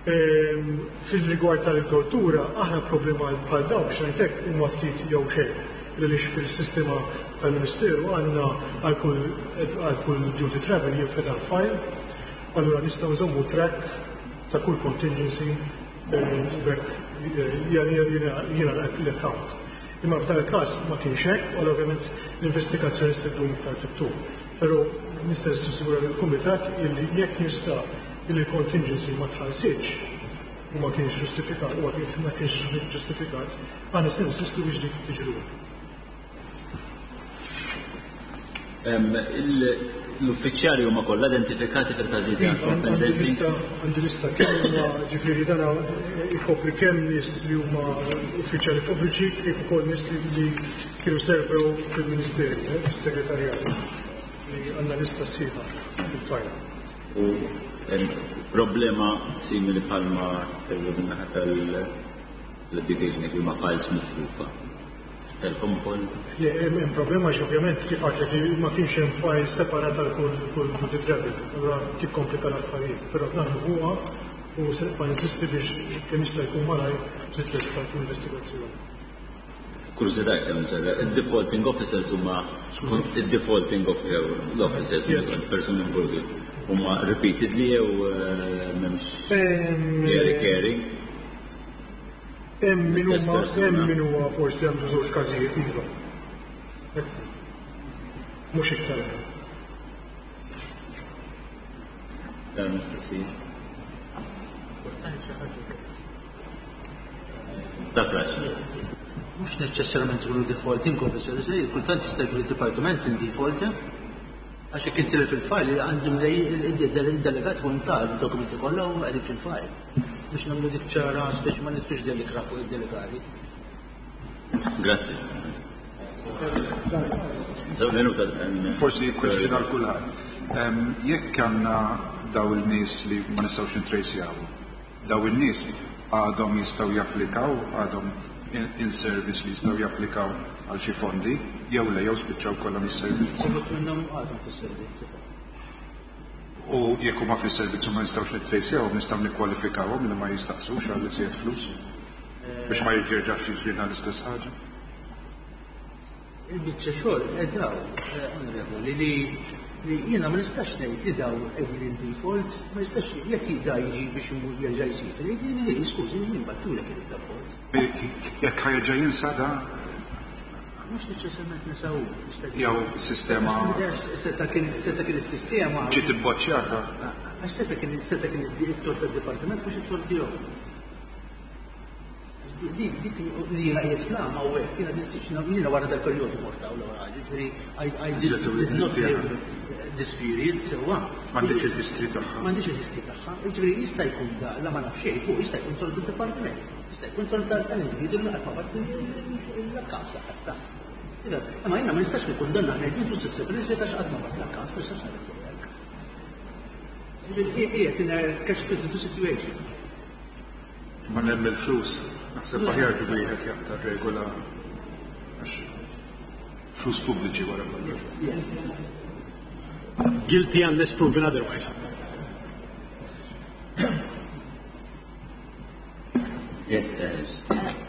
Fil-rigward tal-agrikoltura, aħna problema bħal dawn, biex ngħidlek, huma ftit jew xejn. Għaliex fil-sistema tal-Ministeru għandna għal kull duty travel jinfetaħ file, allura nistgħu nżommu track ta' kull contingency bekk jiena l-account. Imma f'dan il-każ ma kienx hekk, u ovvjament l-investigazzjoni se ddum iktar fit-tul. Però nista' nassigura lill-kumitat illi jekk nista' illi l-contingency ma tħallsitx u ma kienx ġustifikat, u ma kienx ġustifikat, aħna se ninsistu biex dik tiġi lura. L-uffiċjali huma kollha identifikati fil-każijiet? Iva, għandi lista, għandi lista kemm huma, ġifieri dan ikopri kemm nies li huma uffiċjali pubbliċi kif ukoll nies li kienu servew fil-Ministeru, eh, fis-segretarjat. Li għandna lista sħiħa fil-fajl. U problema simili bħalma kellu min-naħa tal-education, li huma files mitlufa. Kellkom ukoll? Le, hemm problema għax ovvjament kif għedtlek li ma kienx hemm file separat għal kull kull duty travel, allura tikkomplika l-affarijiet, però naħdmu fuqha u se nibqa' insisti biex kemm jista' jkun malajr titlesta l-investigazzjoni. Kurżità kemm il-defaulting officers huma, il-defaulting officers, persuni involuti, huma repeatedly jew m'hemmx recurring? Hemm min huma hemm min huwa forsi għandu żewġ każijiet, iva. Mhux iktar. Dan mistoqsijiet. Tafrax. Mhux neċessarjament ikunu defaulting officers, kultant jista' jkun id-dipartiment in default, għax jekk intilef il-file għandhom il-delegat ikun ta' dokumenti kollha u qegħdin fil-file. Biex nagħmlu dik ċara biex ma nitfix delikra fuq id-delegati. Grazzi. Minuta. Forsi question għal kulħadd. Jekk għandna daw il-nies li ma nistgħux nitracjaw, daw il-nies għadhom jistgħu japplikaw, għadhom in service li jistgħu japplikaw għal xi fondi, jew le, jew spiċċaw kollha mis-servizz? Uħud minnhom għadhom fis-servizz. U jekk huma fis-servizz u ma nistgħux nittracjawhom, nistgħu nikkwalifikawhom li ma jistaqsux għal iżjed flus? Biex ma jerġax jiġrilna l-istess ħaġa. Il-biċċa xogħol qed onorevoli li li jiena ma nistax ngħid li daw qegħdin in default, ma nistax jekk da jiġi biex imur jerġa' jsir, jgħid li skużi, min bagħtulek il-rapport. Jekk ħa jerġa' jinsa da Mhux neċessarjament nesaw. Jew sistema. Seta kien seta kien is-sistema. Ġiet ibboċċjata. Għax seta kien seta kien it-tort tad-dipartiment mhux it-tort tiegħu. Dik dik li jiena qiegħed fl-għama u hekk jiena jiena wara dal-perjodu mort hawn l-ewwel ħaġa, ġifieri I did not live this period sewwa. M'għandix il-history tagħha. M'għandix il-history tagħha. Ġifieri jista' jkun da la ma naf xejn fuq jista' jkun tort id-dipartiment. Jista' jkun tort tal-individwu li qatt ma bat l-accounts laqqas tagħha. Imma jiena ma nistax nikkundanna ngħid intu s'issa għax qatt ma bat l-accounts, ma nistax ngħid hekk. Ġifieri qiegħed in a catch twenty-two situation. Ma hemm il-flus. Naħseb aħjar li wieħed jaqta' regola għax flus pubbliċi wara kollox. Guilty unless proven otherwise. Yes, uh,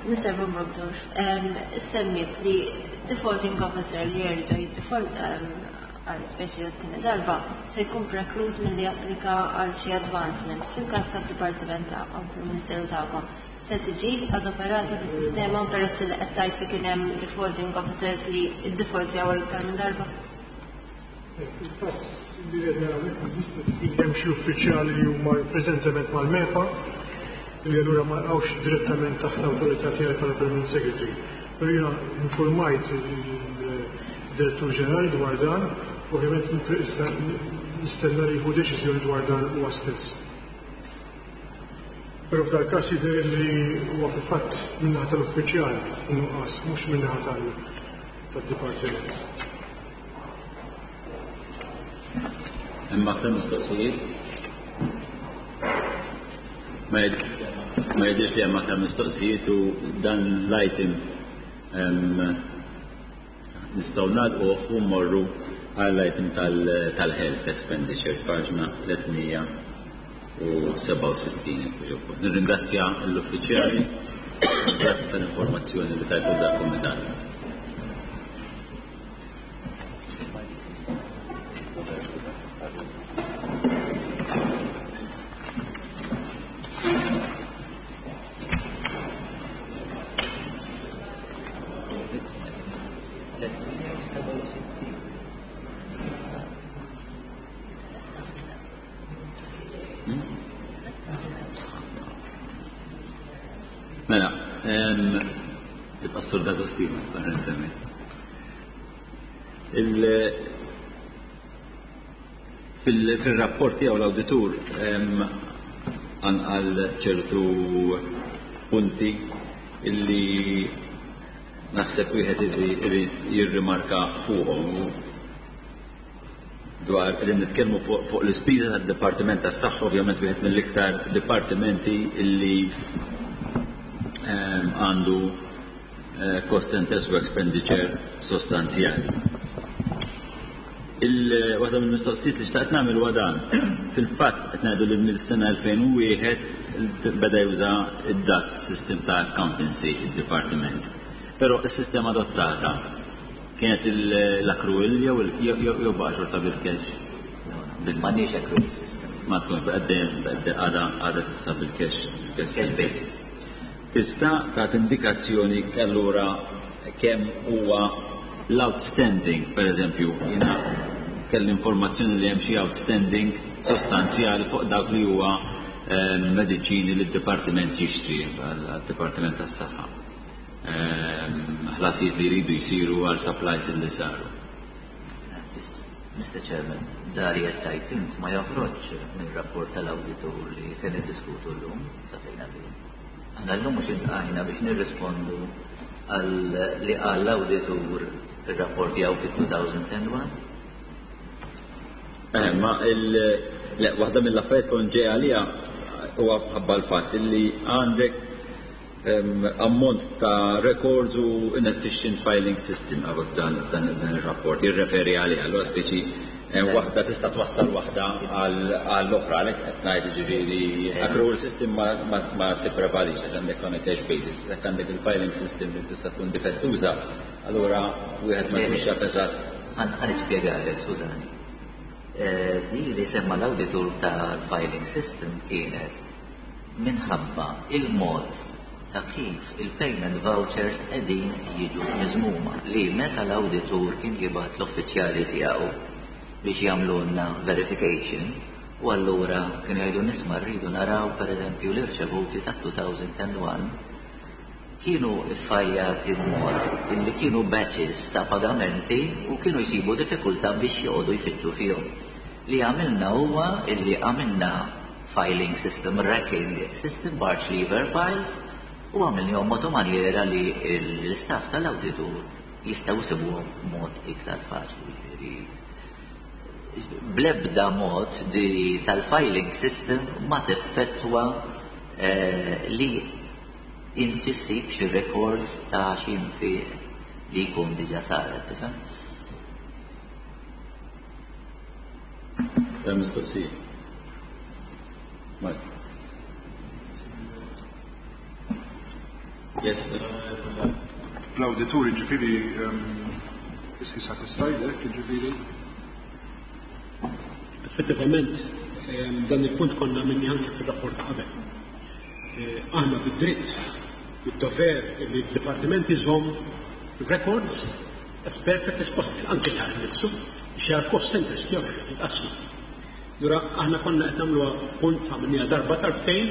Mister Von Brockdorff, um, semmit li defaulting officer li jerġa' jiddefault għal speċi t-tieni darba se jkun prekluż milli japplika għal xi advancement fil-każ tad-dipartiment tagħkom fil-Ministeru tagħkom. Se tiġi adoperata di sistema peress li qed tgħid li kien hemm defaulting officers li ddefaultjaw għal iktar minn darba? Fil-każ li qed naraw jista' jkun hemm xi uffiċjali li huma preżentement mal-MEPA li allura ma jaqgħux direttament taħt l-awtorità tiegħi bħala Permanent Secretary. Però jiena informajt il-Direttur Ġenerali dwar dan, ovvjament issa nistenna li jieħu deċiżjoni dwar dan huwa stess. Però f'dal każ jidher li huwa fil-fatt min-naħa tal-uffiċjal in-nuqqas, mhux min-naħa tad-dipartiment. Hemm aktar mistoqsijiet? Ma jidhirx li hemm aktar mistoqsijiet u dan l-item nistgħu nagħlquh u mmorru għall-item tal-health expenditure, paġna tliet mija u sebgħa u sittin. Nirringrazzja l-uffiċjali, grazzi tal-informazzjoni li tajtu dal-kumitat. Mela, il-Pastor D'Agostino, apparentemente. Fil-rapport tiegħu l-awditur għal ċertu punti illi naħseb wieħed irid jirrimarka fuqhom dwar li nitkellmu fuq l-ispiża tad-Dipartiment tas-Saħħa, ovvjament wieħed mill-iktar dipartimenti illi għandu cost centers u expenditure sostanzjali. Waħda mill-mistoqsijiet li xtaqt nagħmel huwa dan. Fil-fatt qed ngħidu li mill-sena elfejn u wieħed beda juża id-D A S system ta' accountancy id-dipartiment. Però s-sistema adottata kienet l-accrual jew jew baqa' xorta bil-cash? M'għandniex accrual system. Ma tkun għadha għadha s'issa bil-cash. Cash basis. Tista' tagħti indikazzjoni allura kemm huwa l-outstanding, per eżempju, jiena kelli informazzjoni li hemm xi outstanding sostanzjali fuq dak li huwa mediċini li d-dipartiment jixtri għad-Dipartiment tas-Saħħa. Ħlasijiet li jridu jsiru għal supplies li saru. Mister Chairman, da li qed tgħid int ma joħroġx mir-rapport tal-awditur li se niddiskutu llum sa fejn fejn. Aħna llum mhux intqajna biex nirrispondu għal li qal l-awditur fir-rapport tiegħu fit-two thousand and one. Eh, ma il le, waħda mill-affarijiet kont ġej għalija huwa ħabba l-fatt li għandek ammont ta' records u inefficient filing system għabok dan, dan, dan il-rapport jirreferi għalih, allura speċi waħda tista' twassal waħda għall-oħra, għalhekk qed ngħid ġifieri accrual system ma, ma, ma tipprevalix għax għandek on a cash basis, jekk għandek il-filing system li tista' tkun difettuża, allura wieħed ma jkunx jaf eżatt. Ħa nispjegalek, skużani. Di li semma l-awditur tal-filing system kienet minħabba il-mod ta' kif il-payment vouchers qegħdin jiġu miżmuma, li meta l-awditur kien jibgħat l-uffiċjali tiegħu biex jagħmlulna verification, u allura kienu jgħidu nisma' rridu naraw pereżempju l-irċevuti ta' two thousand and one, kienu iffajljati b'mod illi kienu batches ta' pagamenti u kienu jsibu diffikultà biex joqogħdu jfittxu fihom. Li għamilna huwa illi għamilna filing system, racking system, barge lever files, u għamilnihom mod maniera li l-istaff tal-awditur jistgħu jsibuhom mod iktar faċli. Ġifieri, blebda mod di tal-filing system ma teffettwa eh, li inti ssib xi records ta' xi nfiq li jkun diġà saret, tifhem? Ta' mistoqsija. Mike. Yes. L-awditur, ġifieri, is he satisfied, eh, ġifieri? Effettivament, ehm, dan il-punt konna minni anke fil-rapport ta' qabel. Eh, Aħna bid-dritt, bid-dover li d-dipartiment iżomm records as perfect as possible, anke l nifsu, biex jara cost centers tiegħu kif qed jitqasmu. Allura aħna konna qed nagħmluha punt, għamilniha darba, darbtejn,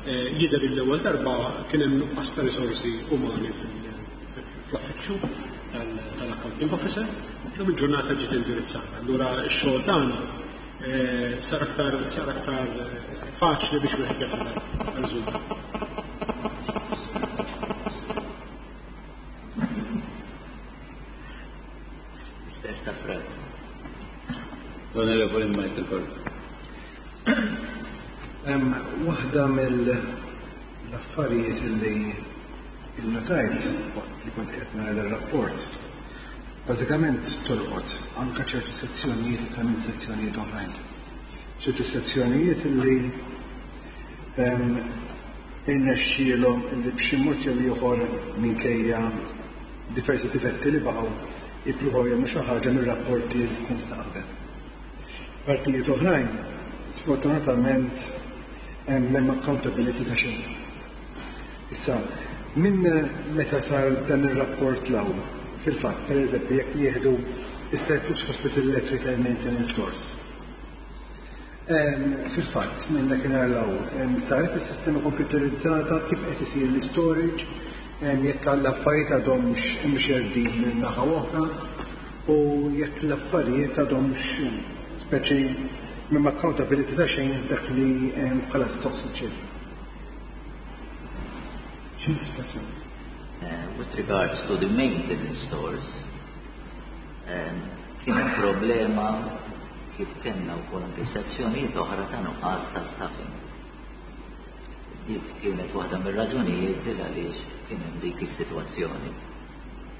eh, jidher l-ewwel darba kien hemm nuqqas ta' risorsi umani fl-affiċċju tal-accounting officer, illum il-ġurnata ġiet indirizzata. Allura x-xogħol tagħna eh, sar aktar sar aktar eh, faċli biex wieħed jasal għal-riżultat. Mister Stafrace. L-Onorevoli Michael Gordon. Hemm waħda mill-affarijiet li innotajt waqt li kont qed nara r-rapport. Bażikament tolqot anke ċertu sezzjonijiet ta' minn sezzjonijiet oħrajn. Ċertu sezzjonijiet li irnexxielhom illi b'xi mod jew ieħor, minkejja diversi difetti li baqgħu, jippruvaw jagħmlu xi ħaġa mir-rapporti eżistenti ta' qabel. Partijiet oħrajn, sfortunatament, hemm accountability ta' xejn. Issa, minn meta sar dan ir-rapport 'l hawn, fil-fatt, per eżempju, jekk jieħdu is-Saint Luke's Hospital Electrical Maintenance Stores. Fil-fatt, minn dakinhar 'l hawn, saret is-sistema komputerizzata, kif qed isir l-storage, jekk l-affarijiet għadhomx imxerdin minn naħa oħra u jekk l-affarijiet għadhomx speċi minn accountability ta' xejn dak li hemm bħala stocks, eccetera. X'inhi situazzjoni? Uh, with regards to the maintenance stores, um, kien hemm problema kif kellna wkoll anke f'sezzjonijiet oħra ta' nuqqas ta' staffing. Dik kienet waħda mir-raġunijiet il għaliex kien hemm dik is-sitwazzjoni.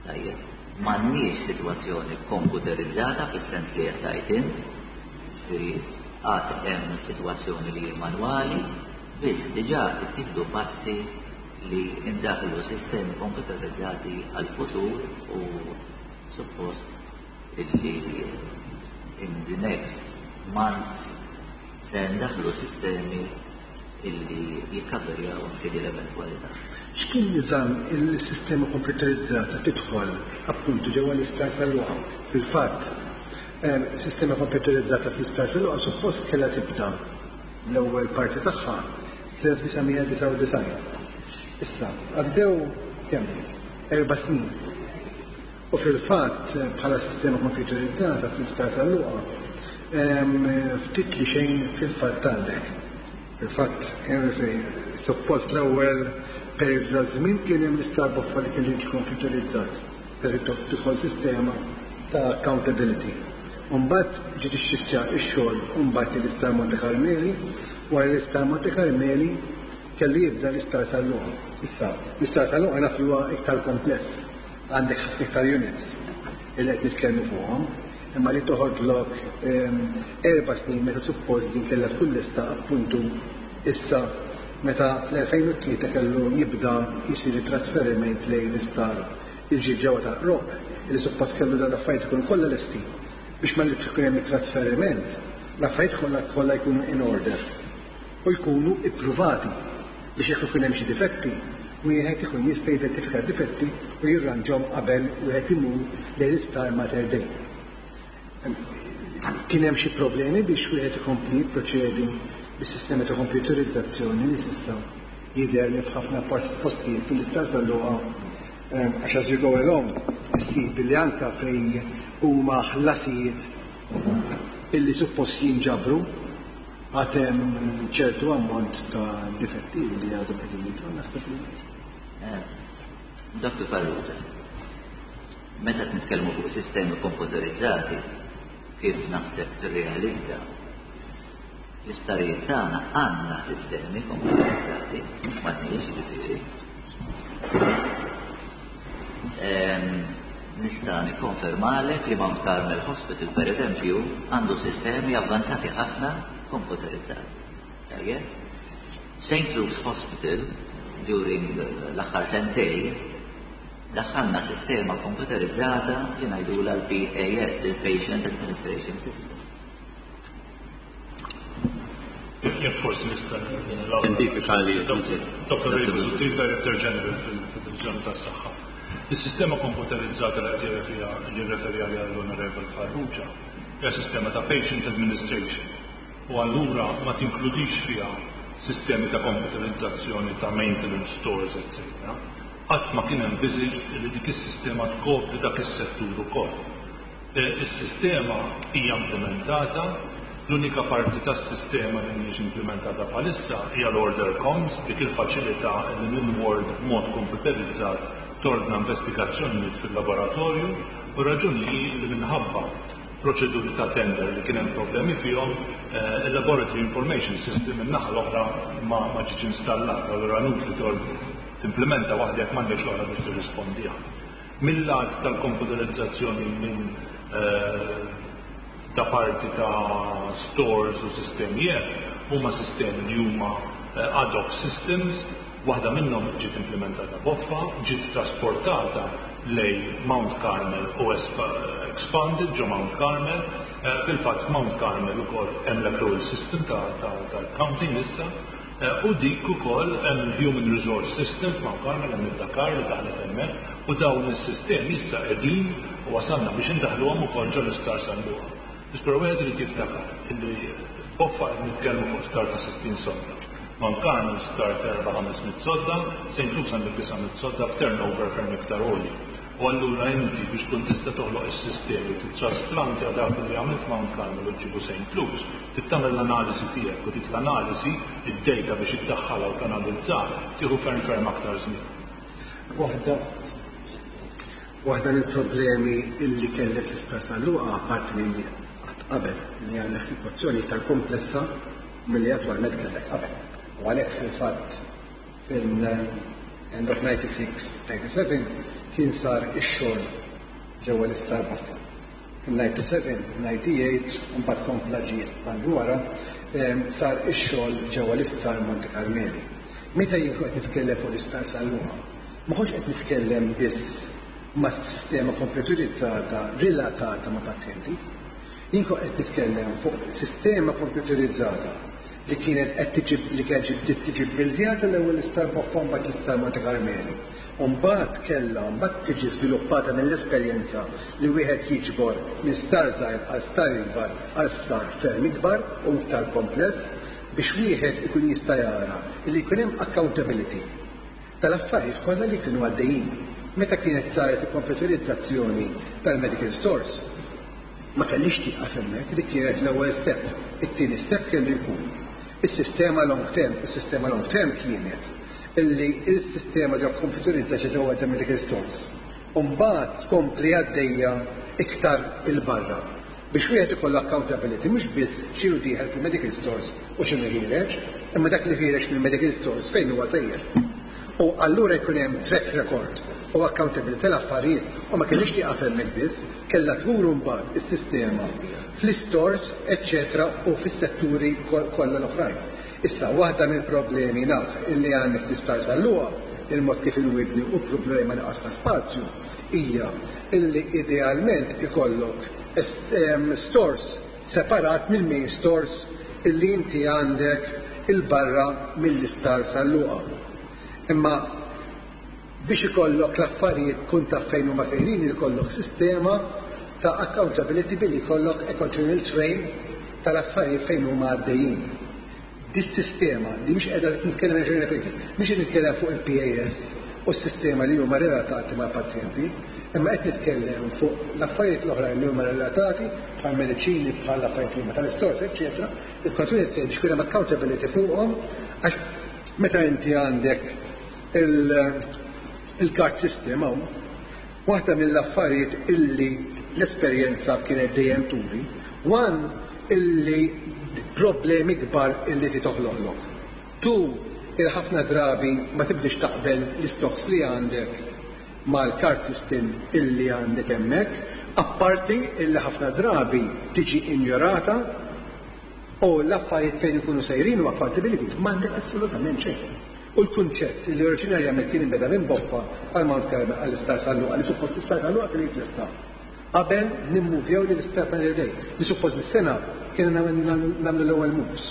Tajjeb, m'għandniex sitwazzjoni komputerizzata fis-sens li qed tgħid int, ġifieri għad hemm sitwazzjoni li hi manwali, biss diġà ittieħdu passi li indaħlu sistemi komputerizzati għal-futur u suppost illi in the next months se ndaħlu sistemi illi jikkaverjaw anke din l-eventwalità. X'kien niżam il-sistema komputerizzata tidħol appuntu ġewwa l-Isptar San Luqa? Fil-fatt, em, sistema komputerizzata fl-Isptar San Luqa suppost kellha tibda l-ewwel parti tagħha fl-elf disa' mija disgħa u disgħin. Issa, għaddew kemm? Erba' snin. U fil-fatt, bħala sistema komputerizzata fl-Isptar San Luqa, em, ftit li xejn fil-fatt għandek. Fil-fatt, suppost l-ewwel periodu ta' żmien kien hemm l-Isptar Boffa li kien jiġi komputerizzat per tidħol sistema ta' accountability. Umbagħad ġiet ixxiftja x-xogħol umbagħad l-Isptar Monte Carmeli, wara l-Isptar Monte Carmeli kellu jibda l-Isptar San Luqa. Issa, l-Isptar San Luqa naf li huwa iktar kompless, għandek ħafna iktar units li qed nitkellmu fuqhom, imma li toħodlok em, erba' snin meta suppost din kellha tkun lesta appuntu issa, meta fl-elfejn u tlieta kellu jibda jisir it-trasferiment lejn l-isptar il-ġdid ġewwa ta' Roq, li suppost kellu dan l-affarijiet ikunu kollha lesti biex ma li tkun hemm it-trasferiment l-affarijiet kollha kollha jkunu in order u jkunu ippruvati biex jekk ikun hemm xi difetti wieħed ikun jista' jidentifika difetti u jirranġhom qabel wieħed imur lejn l-isptar Mater Dei. Kien hemm xi problemi biex wieħed ikompli jipproċedi bis-sistema ta' computerizzazzjoni li s'issa jidher li f'ħafna postijiet mill-isptar San Luqa, għax as you go along issib li anka fejn huma ħlasijiet illi suppost jinġabru għad hemm ċertu ammont ta' difetti li għadhom qegħdin jidhru, naħseb li. Doktor Farrugia, meta nitkellmu fuq sistemi komputerizzati, kif naħseb tirrealizza, l-isptarijiet tagħna għandna sistemi komputerizzati, m'għandniex ġifieri. Nista' nikkonfermalek li Mount Carmel Hospital, per eżempju, għandu sistemi avvanzati ħafna komputerizzati. Tajjeb? Saint Luke's Hospital, during l-aħħar sentej, daħħalna sistema komputerizzata li ngħidulha l-P A S, il-Patient Administration System. Jekk forsi nista' Identifika li Doktor Ray Busuttil, Director General fil-Divizjoni tas-Saħħa. Is-sistema komputerizzata li qed jirreferi għaliha l-Onorevole Farrugia hija sistema ta' Patient Administration u allura ma tinkludix fiha sistemi ta' komputerizzazzjoni ta' maintenance stores, eccetera. Qatt ma kien envisaged li dik is-sistema tkopri dak is-settur ukoll. Is-sistema hija implementata, l-unika parti tas-sistema li mhijiex implementata bħalissa hija l-order comms, dik il-faċilità li minn ward b'mod komputerizzat tordna investigazzjonijiet fil-laboratorju, u raġuni hi li minħabba proċeduri ta' tender li kien hemm problemi fihom, il-Laboratory Information System min-naħa l-oħra ma ġietx installata, allura inutli timplementa waħda jekk m'għandekx l-oħra biex tirrispondiha. Mill-lat tal-komputerizzazzjoni minn ta' parti ta' stores u sistemi hekk, huma sistemi li huma ad hoc systems, waħda minnhom ġiet implementata boffa, ġiet trasportata lej Mount Carmel u expanded ġo Mount Carmel. Fil-fatt Mount Carmel ukoll hemm l-accrual system ta', ta, ta accounting issa, u dik ukoll hemm il-Human Resource System f'Mount Carmel, hemm id-Dakar li daħlet hemmhekk, u dawn is-sistemi issa qegħdin u wasalna biex indaħluhom ukoll ġo l-Isptar San Luqa. Però wieħed irid jiftakar illi boffa qed nitkellmu fuq sptar ta' sittin sodda. Mount Carmel sptar ta' erba' ħames mitt sodda, Saint Luke's għandek disa' mitt sodda b'turnover ferm iktar għoli. U allura inti biex tkun tista' toħloq is-sistemi titrasplantja dak li għamilt Mount Carmel u ġibu Saint Luke's, trid tagħmel l-analisi tiegħek u dik l-analisi id-data biex iddaħħalha u tanalizza tieħu ferm ferm aktar żmien. Waħda waħda mill-problemi illi kellek l-Isptar San Luqa, apparti li qabel li għandek sitwazzjoni iktar komplessa milli attwalment kellek qabel. U għalhekk fil-fatt fil-end of ninety-six, ninety-seven kien sar ix-xogħol ġewwa l-Isptar Boffa. Fil-ninety-seven, ninety-eight, u mbagħad kompla ġie espandi wara, sar ix-xogħol ġewwa l-Isptar Monte Carmeli. Meta jien qed nitkellem fuq l-Isptar San Luqa, ma kontx qed nitkellem biss ma' sistema komputerizzata relatata ma' pazjenti. Jien kont qed nitkellem fuq sistema komputerizzata li kienet qed tiġi li kienet bdiet tiġi bbildjata l-ewwel l-Isptar Boffa mbagħad l-Isptar Monte Carmeli. U mbagħad kellha mbagħad tiġi żviluppata mill-esperjenza li wieħed jiġbor minn sptar żgħir għal sptar ikbar għal sptar ferm ikbar u iktar kompless biex wieħed ikun jista' jara li jkun hemm accountability tal-affarijiet kollha li kienu għaddejjin. Meta kienet saret il-komputerizzazzjoni tal-medical stores, ma kellix tieqaf hemmhekk, li kienet l-ewwel step. It-tieni step kellu jkun is-sistema long term. Is-sistema long term kienet illi il-sistema ġo komputerizzata ġewwa ta' medical stores. U mbagħad tkompli għaddejja iktar il-barra biex wieħed ikollu accountability mhux biss x'inhu dieħel fil-medical stores u x'inhu ħiereġ, imma dak li ħiereġ mill-medical stores fejn huwa sejjer. U allura jkun hemm track record u accountability tal-affarijiet u ma kellix tieqaf hemmhekk biss, kellha tmur mbagħad is-sistema fl-stores, eċċetera, u fis-setturi kollha l-oħrajn. Issa, waħda mill-problemi naf illi għandek fl-Isptar San Luqa, il-mod kif inwibni u problema nuqqas ta' spazju, hija illi idealment ikollok stores separat mill-main stores illi inti għandek il-barra mill-Isptar San Luqa. Imma Biex ikollok l-affarijiet kun taf fejn huma sejrin, ikollok sistema ta' accountability billi jkollok a continual trail tal-affarijiet fejn huma għaddejjin. Dis-sistema li mhix qiegħda nitkellem, ripeti, mhix qed nitkellem fuq il-P A S u s-sistema li huma relatati mal-pazjenti, imma qed nitkellem fuq l-affarijiet l-oħra li huma relatati bħal mediċini, bħal affarijiet li huma tal-istores, eċċetera. Il-continuous trail biex hemm accountability fuqhom, għax meta inti għandek il-card system hawn, waħda mill-affarijiet illi l-esperjenza kienet dejjem turi, one, illi problemi kbar illi ti toħloqlok. Two, il-ħafna drabi ma tibdix taqbel l-stocks li għandek mal-card system illi għandek hemmhekk, apparti illi ħafna drabi tiġi injorata u l-affarijiet fejn ikunu sejrin u accountability m'għandek assolutament xejn. U l-kunċett li oriġinarjament kien inbeda minn Boffa għal Mount Carmel għall-Isptar San Luqa, li suppost l-Isptar San Luqa kien jitlesta qabel nimmuvjaw li l-Isptar Mater Dei, li suppost is-sena kienu nagħmlu l-ewwel moves.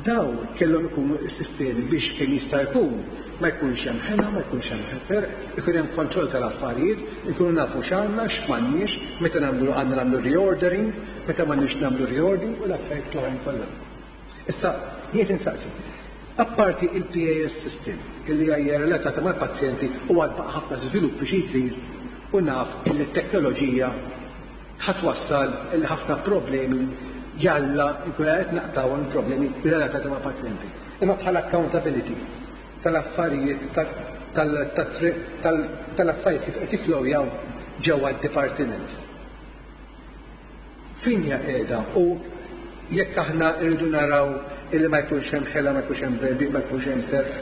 Daw kellhom ikunu s-sistemi biex kemm jista' jkun ma jkunx hemm ħela, ma jkunx hemm ħser, ikun hemm kontroll tal-affarijiet, ikunu nafu x'għandna, x'm'għandniex, meta nagħmlu għandna nagħmlu reordering, meta m'għandniex nagħmlu reordering u l-affarijiet l-oħrajn kollha. Issa, jiet insaqsi, apparti il-P A S system illi hija relatata mal-pazjenti u għad baqa' ħafna żvilupp biex jsir u naf illi t-teknoloġija ħa twassal illi ħafna problemi jalla jkun qed naqtgħu problemi relatati ma' pazjenti. Imma bħala accountability tal-affarijiet tal-affarijiet kif qed jiflowjaw ġewwa d-dipartiment. Fejn hija qiegħda u jekk aħna rridu naraw illi ma jkunx hemm ħela, ma jkunx hemm berbi, ma jkunx hemm serq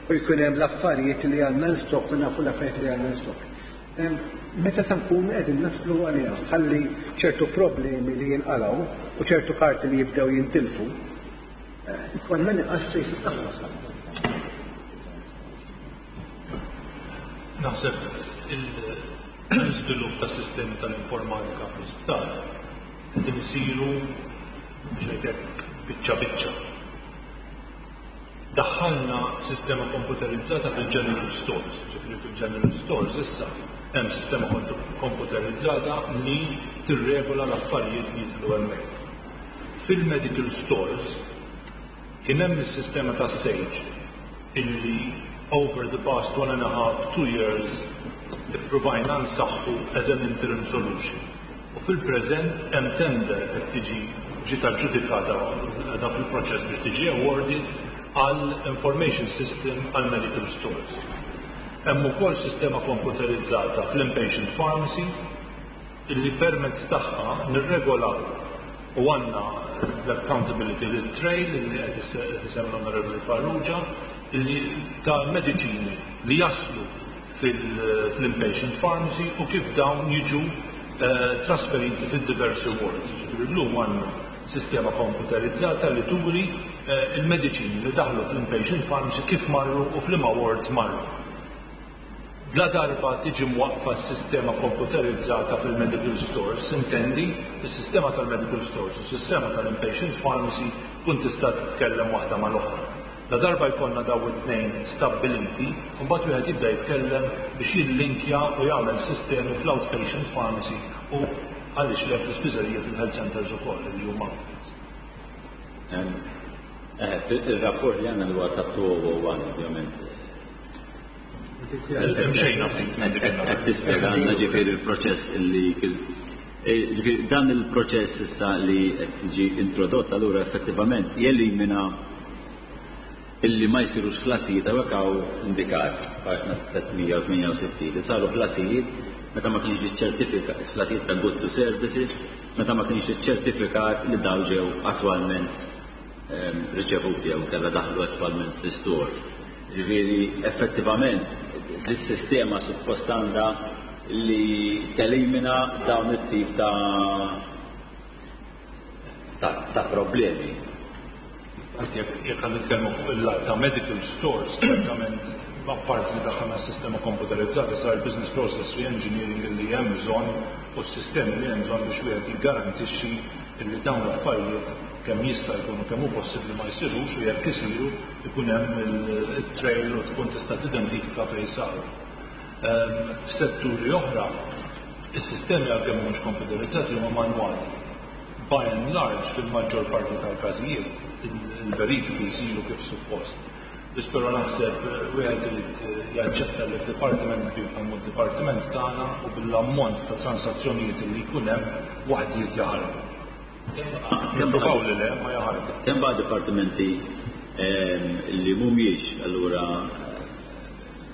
u jkun hemm l-affarijiet li għandna in stock u nafu l-affarijiet li għandna in stock. Meta sa nkunu qegħdin naslu għaliha ħalli ċertu problemi li jinqalgħu u ċertu karti li jibdew jintilfu, konna inqas traces tagħhom. Naħseb l-iżvilupp ta' sistemi tal-informatika fl-isptar qed isiru biex ngħidlek biċċa biċċa. Daħħalna sistema komputerizzata fil-General Stores, ġifieri fil-General Stores issa hemm sistema komputerizzata li tirregola l-affarijiet li jidħlu hemmhekk. Fil-medical stores kien hemm is-sistema ta' Sage illi over the past one and a half, two years ippruvajna nsaħħu as an interim solution. U fil-preżent hemm tender qed tiġi ġiet aġġudikata, qiegħda fil-proċess biex tiġi awarded għal information system għal medical stores. Hemm ukoll sistema komputerizzata fl-inpatient pharmacy illi permezz tagħha nirregolaw u għandna l-accountability li trail li qed isemmi l-Onorevoli Farrugia li ta' mediċini li jaslu fil-inpatient pharmacy u kif dawn jiġu eh, trasferiti fil-diversi wards. Ġifieri llum għandna sistema komputerizzata li turi eh, il-mediċini li daħlu fl-inpatient pharmacy kif marru u f'liema wards marru. La darba tiġi mwaqfa s-sistema komputerizzata fil-medical stores, intendi, il-sistema tal-medical stores u s-sistema tal-inpatient pharmacy kun tista' titkellem waħda mal-oħra. La darba jkollna daw it-tnejn stabbiliti, mbagħad wieħed jibda jitkellem biex jillinkja u jagħmel sistemi fl-outpatient pharmacy u għaliex le fl-ispiżerija fil-health centers ukoll li huma outlets. Eh, il-rapport li għandna huwa ta' elfejn u wieħed, ovvjament. Mxejna ftit minn dik Qed tispjegana ġifieri il-proċess illi ġifieri dan il-proċess issa li qed tiġi introdott allura effettivament jelimina illi ma jsirux ħlasijiet. Hawnhekk hawn indikat paġna tliet mija u tmienja u sittin li saru ħlasijiet meta ma kienx iċċertifikat, ħlasijiet ta' goods to services meta ma kienx iċċertifikat li daw ġew attwalment ehm, riċevuti jew kellha daħlu attwalment fl-istore. Ġifieri effettivament dis-sistema suppost għandha li telimina dawn it-tip ta' ta', ta problemi. Għalt jekk jekk għan nitkellmu fuq il-lat ta' medical stores, ċertament apparti li daħħalna s-sistema komputerizzata sar business process re-engineering li hemm bżonn u s-sistemi li hemm bżonn biex wieħed jiggarantixxi li dawn l-affarijiet kemm jista' jkun u kemm hu possibbli ma jsirux, u jekk isiru ikun hemm il-trail u tkun tista' tidentifika fejn saru. F'setturi oħra, is-sistemi għalkemm mhux komputerizzati huma manwali. By and large, fil-maġġor parti tal-każijiet, il-verifiki jsiru kif suppost. Biss però naħseb wieħed irid jaċċetta li f'dipartiment kbir bħal dipartiment tagħna u bil-ammont ta' transazzjonijiet li jkun hemm waħdiet jaħarbu. Nippruvaw li le ma jaħarbu. Kemm baqa' dipartimenti li mhumiex allura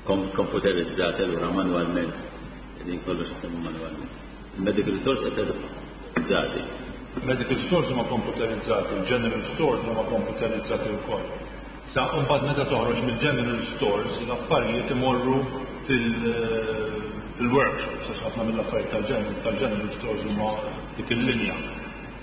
komputerizzati allura manwalment, din kollox jaħdmu manwalment. Il-medical stores qed komputerizzati. Medical stores huma komputerizzati, il-general stores huma komputerizzati wkoll. Sa mbagħad meta toħroġ mill-general stores l-affarijiet imorru fil-workshops, għax ħafna mill-affarijiet tal-general stores huma f'dik il-linja.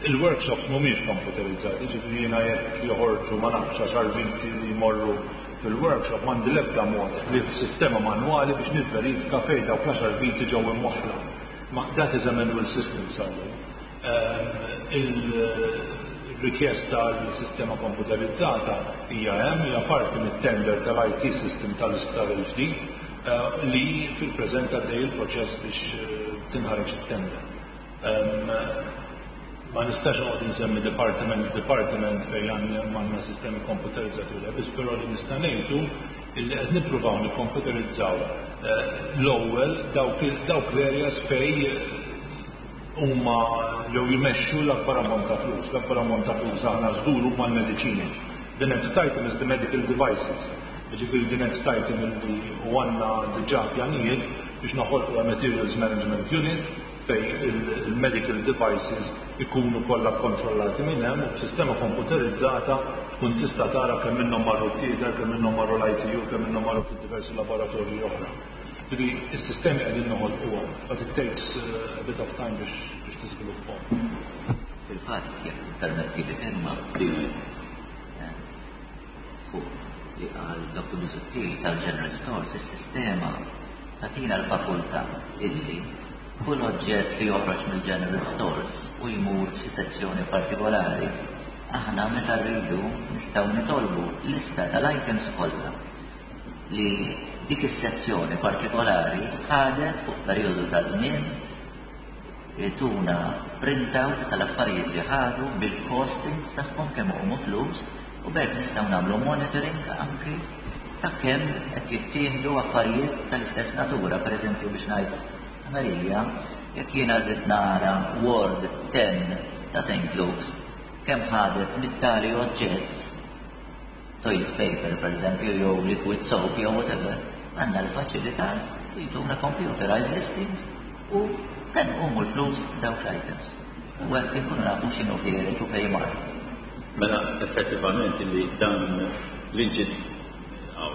Il-workshops mhumiex komputerizzati, ġifieri jiena jekk joħorġu ma nafx għaxar viti li jmorru fil-workshop m'għandi l-ebda mod li f'sistema manwali biex nivverifika fejn dawk l-għaxar viti ġew imwaħħla. Ma that is a manual system sal-lum. Il-rikjesta għal sistema komputerizzata hija hemm, hija parti mit-tender tal-I T system tal-isptar il-ġdid li fil-preżent għaddej il-proċess biex tinħareġ it-tender. Ma nistax noqgħod insemmi department department fejn għandna sistemi komputerizzati u le, biss però li nista' ngħidu illi qed nippruvaw nikkomputerizzaw l-ewwel dawk l-areas fejn huma jew jmexxu l-akbar ammont ta' flus. L-akbar ammont ta' flus aħna żgur huma l-mediċini. The next item is the medical devices. Ġifieri the next item illi u għandna diġà pjanijiet biex noħolqu a materials management unit fej il-medical devices ikunu kollha kontrollati minn hemm u b'sistema komputerizzata tkun tista' tara kemm minnhom marru t-theater, kemm minnhom marru l-I T U, kemm minnhom marru fid-diversi laboratorji oħra. Ġifieri is-sistemi qegħdin noħolquhom, but it takes a bit of time biex biex tiżviluppahom. Fil-fatt, jekk tippermetti li kelma, fuq li qal Doktor Busuttil tal-General Stores, is-sistema tagħtina l-fakultà illi kull oġġett li joħroġ mill-General Stores u jmur f'xi sezzjoni partikolari, aħna meta rridu nistgħu nitolbu lista tal-items kollha li dik is-sezzjoni partikolari ħadet fuq perjodu ta' żmien, tuna printouts tal-affarijiet li ħadu bil-costings tagħhom kemm huma flus, u b'hekk nistgħu nagħmlu monitoring anki ta' kemm qed jittieħdu affarijiet tal-istess natura. Per eżempju, biex ngħid Marija, jekk jiena rrid nara Ward ten ta' Saint Luke's kemm ħadet mit-tali oġġett, toilet paper per eżempju, jew liquid soap jew whatever, għandna l-faċilità li jtuna computerized listings u kemm huma l-flus dawk l-items. U hekk inkunu nafu x'inhu ħiereġ u fejn mar. Mela effettivament li dan l-inċid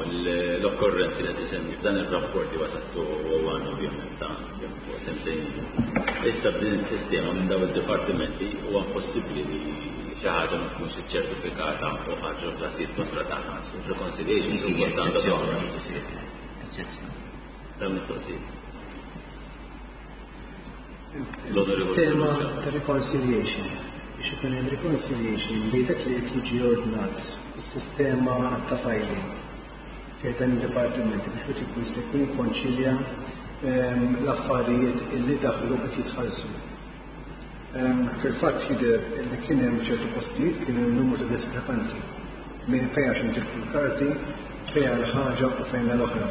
l-okkorrenzi li qed isemmi f'dan ir-rapport li wasattu għandna ovvjament ta' fuq sentejn. Issa b'din is-sistema minn dawn id-dipartimenti huwa impossibbli li xi ħaġa ma tkunx iċċertifikata u ħarġu klasijiet kontra tagħha. Reconciliation suppost għandha toħroġ. Eċċezzjoni. Dan mistoqsijiet. Il-sistema ta' reconciliation, biex ikun hemm reconciliation bejn dak li qed jiġi ordnat u s-sistema ta' filing fejn dan id-dipartimenti biex wieħed ikun jista' jkun jikkonċilja l-affarijiet illi daħlu qed jitħallsu. Fil-fatt jidher li kien hemm ċertu postijiet kien hemm numru ta' diskrepanzi minn fejn għax intilfu l-karti, fejn għal ħaġa u fejn għal oħra.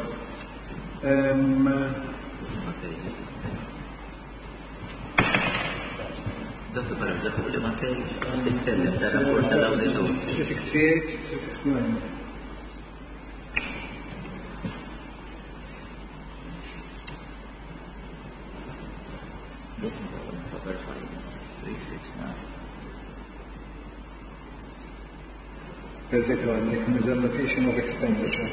Dottor Farrugia, fuq li ma tgħidx titkellem tar-rapport tal-awditur. three sixty-eight, three sixty-nine. This is the proper file, three six nine. Per eżempju, għandek misallocation of expenditure.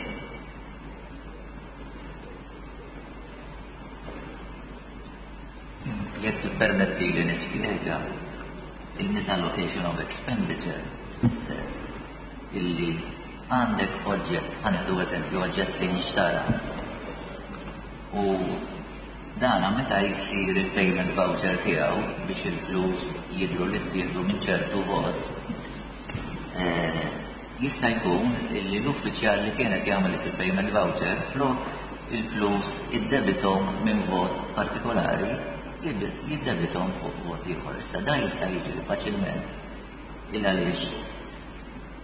Jekk tippermetti li nispjega, il-misallocation of expenditure tfisser illi għandek oġġett, ħanieħdu eżempju oġġett li nixtara, u dana meta jsir il-payment voucher tiegħu biex il-flus jidhru li ttieħdu minn ċertu vot, Eh, jista' jkun li l-uffiċjal li kienet jagħmel dik il-payment voucher flok il-flus iddebitom minn vot partikolari jiddebitom fuq vot ieħor. Issa dan jista' jiġri faċilment il għaliex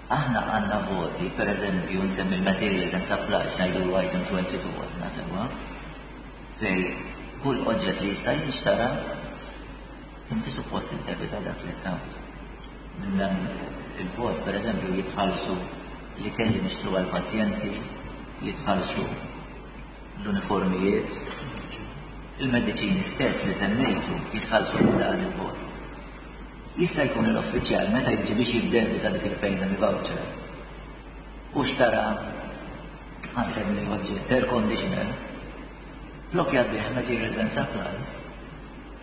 aħna għandna voti, per eżempju, nsemmi l-materials and supplies, ngħidu item twenty-two aħna sewwa, fej kull oġġett li jista' jinxtara inti suppost iddebita dak l-account. Minn dan il-vot, per eżempju, jitħallsu li kelli nixtru għal-pazjenti, jitħallsu l-uniformijiet, il-mediċini stess li semmejtu jitħallsu minn dan il-vot. Jista' jkun l-uffiċjal meta jiġi biex jiddebita dik il-payment voucher u xtara ħa nsemmi oġġett air conditioner, flok jgħaddih materials and supplies,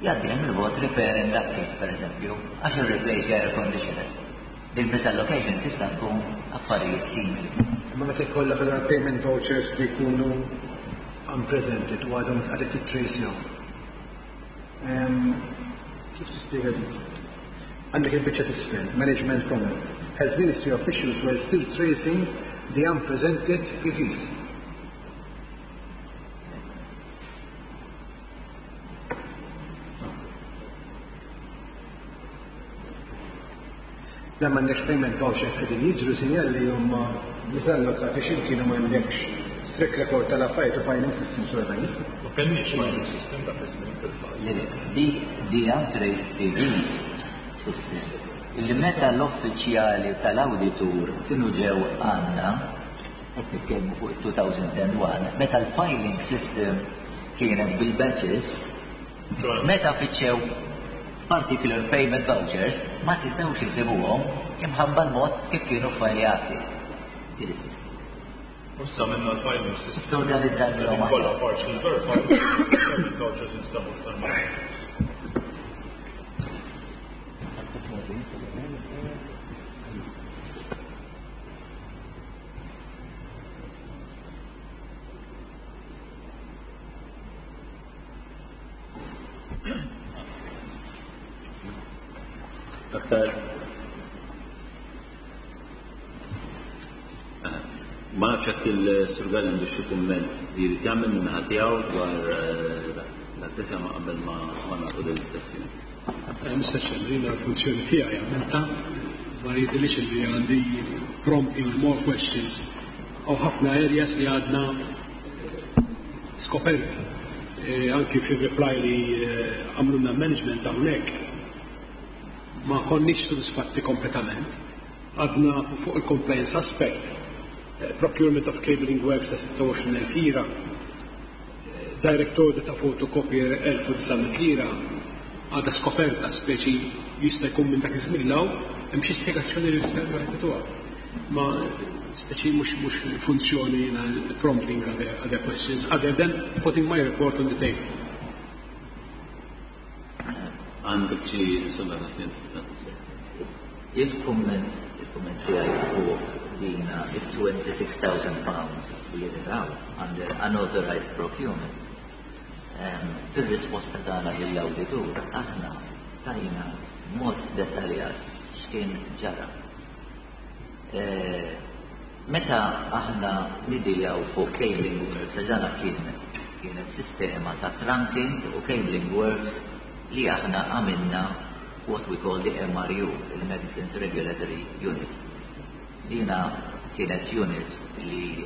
jgħaddih mill-vot repair and upkeep, per eżempju, għax il-replace air conditioner. Il-misallocation tista' tkun affarijiet simili. Imma meta jkollok allura payment vouchers li jkunu unpresented u għadhom għadek tittracehom. Kif tispjega dik? Għandek il-biċċa t'isfel, management comments. Health Ministry officials were still tracing the unpresented P Vs. La m'għandekx payment vouchers qegħdin jiġru sinjal li huma misallokati x'imkien u m'għandekx strict record tal-affarijiet u filing system sura ta' jismu. Ma kellniex filing system dak iż-żmien fil-fatt. Le, le, di, di untraced P Vs tfisser illi meta l-uffiċjali tal-awditur kienu ġew għandna, qed nitkellmu fuq two thousand and one, meta l-filing system kienet bil-batches, meta fittxew particular payment vouchers ma setgħux isibuhom imħabba l-mod kif kienu fajljati. Din tfisser. U issa minna l-filing system. Issa organizzajnilhom aħjar. Kollha partially verified, payment vouchers instabu iktar minn. Aktar. Ma nafx jekk il-Sur Galli għandu xi kumment li jrid jagħmel minn naħa tiegħu dwar dak li sema qabel ma nagħlqu din is-sessjoni. Mister Chairman, jiena l-funzjoni tiegħi għamilta ma jidhirlix li għandi prompting more questions u ħafna areas li għadna skoperti. Anki fil-reply li għamluna management hawnhekk ma konniex sodisfatti kompletament. Għadna fuq il-compliance aspect, procurement of cabling works ta' sitta u għoxrin elf lira, direct order ta' photocopier elf u disa' mitt lira, għadha skoperta speċi jista' jkun minn dak iż-żmien law, hemm xi spjegazzjoni li jista' wieħed jagħtuha. Ma speċi mhux, mhux funzjoni prompting other, other questions other than putting my report on the table. Għandek xi insomma tassin tista' Il-kumment, il-kumment tiegħi fuq dina il-twenty-six thousand pounds li jidhraw under unauthorized procurement. Ehm, fil-risposta tagħna lill-awditur aħna tajna mod dettaljat x'kien ġara. Eh, meta aħna nidiljaw fuq cabling works, għax dana kien, kienet sistema ta' trunking u cabling works li aħna għamilna what we call the M R U, il-Medicines Regulatory Unit. Dina kienet unit li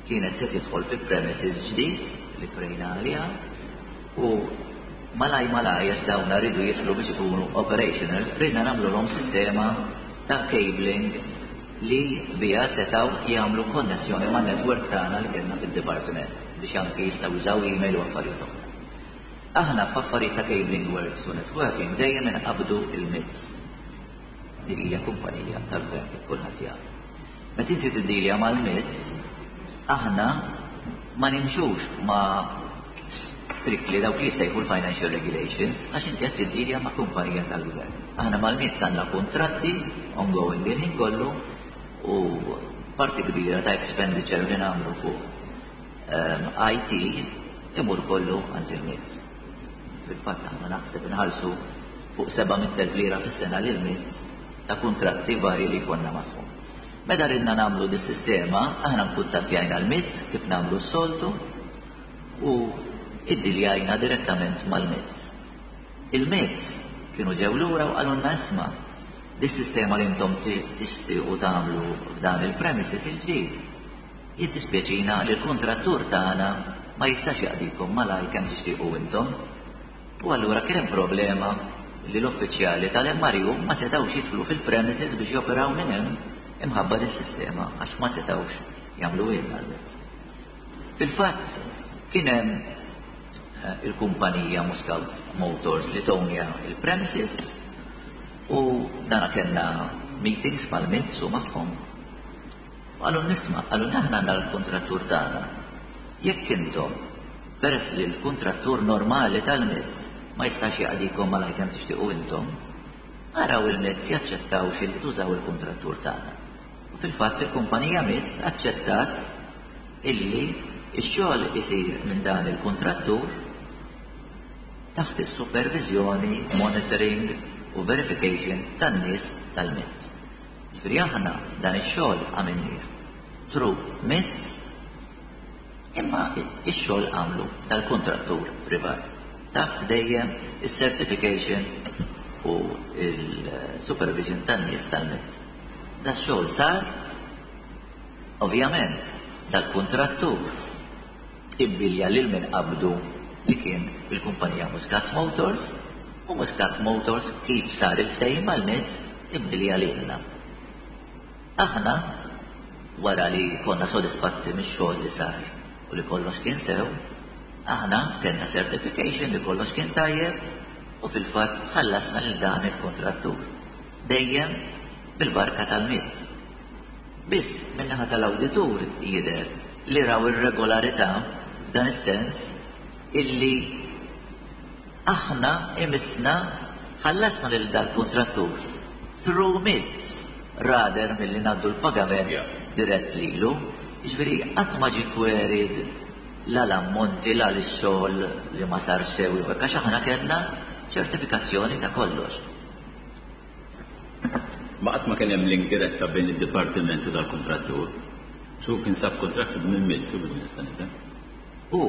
kienet se tidħol fi premises ġdid li krejna għaliha u malaj malaj għax dawna rridu jidħlu biex ikunu operational, ridna nagħmluhom sistema ta' cabling li biha setgħu jagħmlu konnessjoni man network tagħna li kellna fid-dipartiment biex anke jistgħu jużaw email u affarijiet oħra. Aħna f'affarijiet ta' cabling works u networking dejjem inqabdu il-M I T S li hija kumpanija tal-gvern kif kulħadd jaf. Meta inti tiddilja mal-M I T S, aħna ma nimxux ma' strictly dawk li jsejħu l-financial regulations għax inti qed tiddilja ma' kumpanija tal-gvern. Aħna mal-M I T S għandna kuntratti ongoing il-ħin kollu u parti kbira ta' expenditure li nagħmlu fuq, ehm, I T imur kollu għand il-M I T S. Fil-fatt aħna naħseb inħallsu fuq seba' mitt elf lira fis-sena lil M I T S ta' kuntratti varji li konna magħhom. Meta ridna nagħmlu dis-sistema, aħna nkuntattjajna l-M I T S kif nagħmlu s-soltu u iddiljajna direttament mal-M I T S. Il-M I T S kienu ġew lura u qalulna, "Isma', dis-sistema li intom tixtiequ tagħmlu f'dan il-premises il-ġdid, jiddispjaċina li l-kontrattur tagħna ma jistax jaqdikom malaj kemm tixtiequ intom." U allura kien hemm problema li l-uffiċjali tal-M R U ma setgħux jidħlu fil-premises biex joperaw minn hemm imħabba dis-sistema, għax ma setgħux jagħmlu ilna l-M I T S. Fil-fatt kien hemm eh, il-kumpanija Muscat Motors li townja il-premises u dana kellna meetings mal-M I T S u magħhom. Qalulna, "Isma'," qalulna, "aħna għandna l-kontrattur tagħna. Jekk intom, peress li l-kontrattur normali tal-M I T S ma jistax jaqdikom malaj kemm tixtiequ intom, araw il-M I T S jaċċettaw li tużaw il-kontrattur tagħna." U fil-fatt il-kumpanija M I T S aċċettat illi ix-xogħol isir minn dan il-kontrattur taħt is-supervizjoni, monitoring u verification tan-nies tal-M I T S. Ġifieri aħna dan ix-xogħol għamilnieh through M I T S, imma ix-xogħol għamlu dal-kontrattur privat taħt dejjem is-certification u il-supervision tan-nies tal-M I T S. Da xogħol sar, ovvjament, dal-kontrattur ibbilja lil min qabdu, li kien il-kumpanija Muscat Motors, u Muscat Motors, kif sar il-ftehim mal-M I T S, ibbilja lilna. Aħna, wara li konna sodisfatti mix-xogħol li sar u li kollox kien sew, aħna kellna certification li kollox kien tajjeb u fil-fatt ħallasna lil dan il-kontrattur. Dejjem bil-barka tal-M I T S. Biss min-naħa tal-awditur jidher li raw ir-regolarità f'dan is-sens illi aħna imissna ħallasna lil dal-kontrattur through M I T S rather milli ngħaddu l-pagament dirett lilu. Jiġifieri qatt ma ġie queried la l-ammonti, la l-xogħol li ma sar sew, għax aħna kellna ċertifikazzjoni ta' kollox. Ma qatt ma kien hemm link diretta bejn id-dipartiment u dal-kontrattur. Su kien subcontracted minn M I T S u bil nista' nifhem. U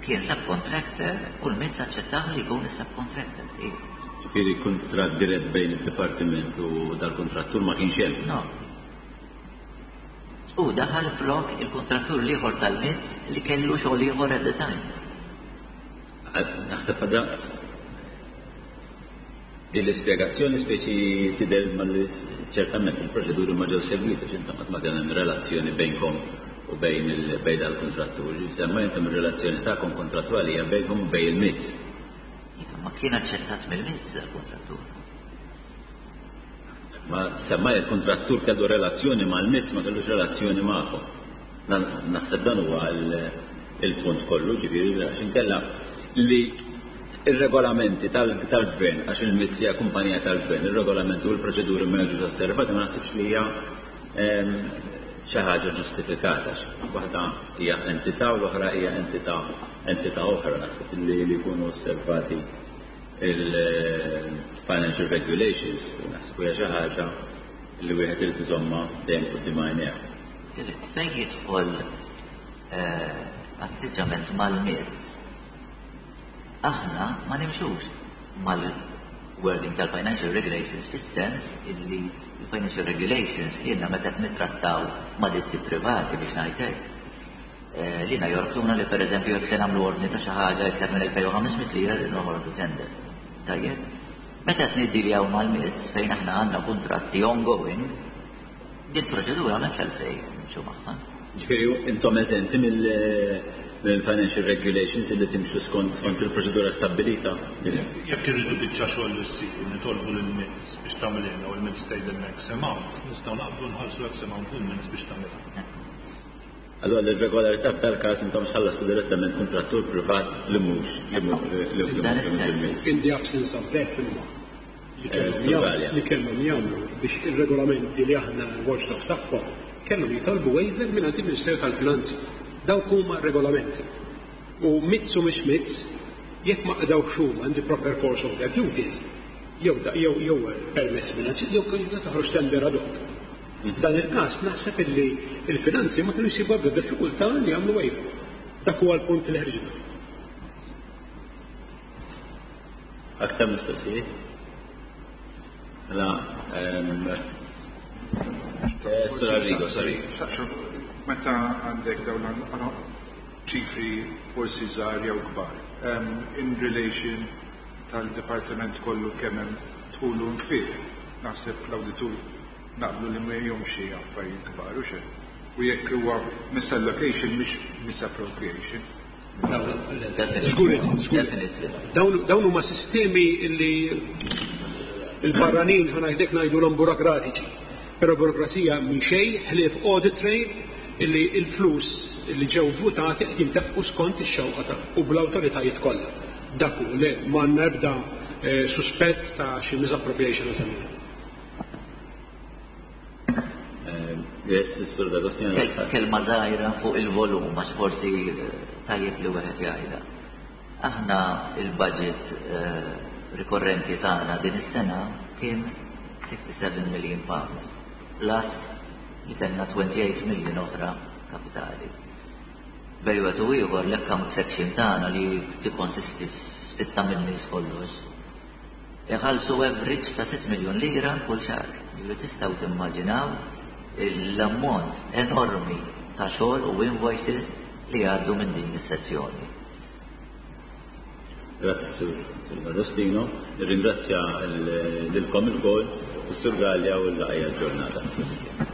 kien subcontractor u l-M I T S aċċettaw li jkun is-subcontractor. Ġifieri kuntratt dirett bejn id-dipartiment u dal-kontrattur ma kienx hemm. No. U daħal flok il-kontrattur l-ieħor tal-M I T S li kellu xogħol ieħor at the time. Naħseb għadha din l-ispjegazzjoni speċi tidher mal ċertament il-proċeduri ma ġew segwiti, x'intom qatt ma kien hemm relazzjoni bejnkom u bejn il bejn dal-kontrattur. Semma intom ir-relazzjoni tagħkom kontrattwali hija bejnkom u bejn il-M I T S. Iva, ma kien aċċettat mill-M I T S dal-kontrattur. Ma semma il-kontrattur kellu relazzjoni mal-M I T S, ma kellux relazzjoni magħkom. Naħseb dan huwa il-punt kollu, ġifieri għax inkella li il-regolamenti tal-gvern, għax il-M I T S hija kumpanija tal-gvern, il-regolamenti u l-proċeduri ma jiġux osservati, ma naħsibx li hija xi ħaġa ġustifikata. Waħda hija entità u l-oħra hija entità entità oħra. Naħseb li li jkunu osservati il-financial regulations, naħseb hija xi ħaġa li wieħed irid iżomma dejjem quddiem għajnejh. Fejn jidħol eh, atteġġament mal-M I T S, aħna ma nimxux mal-wording tal-financial regulations, fis-sens illi il-financial regulations jiena meta nittrattaw ma' ditti privati, biex ngħidlek, eh, lilna jorbtuna li, per eżempju, jekk se nagħmlu ordni ta' xi ħaġa iktar minn elfejn u ħames mitt lira li noħorġu tender. Tajjeb? Meta niddiljaw mal-M I T S, fejn aħna għandna kontratti ongoing, din proċedura m'hemmx għalfejn nimxu magħha. Ġifieri intom eżenti mill-financial regulations illi timxu skont skont il-proċedura stabbilita. Jekk irridu biċċa xogħol li ssir u nitolbu lill-M I T S biex tagħmilna u l-M I T S tgħidilna X amount, nistgħu naqbdu nħallsu X amount lill-M I T S biex tagħmilha. Allora l-irregolarità f'tal-każ intom xħallastu direttament kontrattur privat li mhux li mhux Dan is-sens. In the absence of that, imma li kellhom Eh, jagħmlu- li kellhom jagħmlu biex ir-regolamenti li aħna l-watchdogs tagħhom, kellhom jitolbu waiver minn għand il-Ministeru tal-Finanzi. Dawk huma regolamenti. U M I T S u mhix M I T S, jekk ma qdawx huma in the proper course of their duties, Jew jew jew permess finanzi, jew toħroġ tender ad hoc. F'dan il-każ naħseb illi il-finanzi ma kienu jsibu ebda diffikultà li jagħmlu waiver. Dak huwa l-punt li ħriġna. Aktar mistoqsijiet? Mela, Sur Arrigo, sorry. Meta għandek dawn ċifri forsi żgħar jew kbar, in relation tal-dipartiment kollu kemm hemm dħul u nfiq, naħseb l-awditur naqblu li ma jomx affarijiet kbar u xejn. U jekk huwa misallocation mhix misappropriation. Żgur, żgur. Dawn huma sistemi li il-barranin ħa ngħidlek ngħidulhom burokratiċi. Però burokrazija minn xejn ħlief audit trail illi il-flus li ġew votati qed jintefqu skont ix-xewqa ta' u bl-awtoritajiet kollha. Dak hu li m'għandna ebda suspett ta' xi misappropriation nsemmiha. Yes, Sur D'Agostino. Kelma żgħira fuq il-volum, għax forsi tajjeb li wieħed jgħidha. Aħna il-budget rikorrenti tagħna din is-sena kien sixty-seven million pounds, plus li kellna twenty-eight million oħra kapitali. Bejn wieħed u ieħor l-account section tagħna li tikkonsisti f'sitta min-nies kollox, iħallsu average ta' sitt miljun lira kull xahar. Ġifieri tistgħu timmaġinaw l-ammont enormi ta' xogħol u invoices li għaddu minn din is-sezzjoni. Grazzi Sur D'Agostino, nirringrazzja lilkom ilkoll, is-Sur Galea u l-laqgħa ġurnata.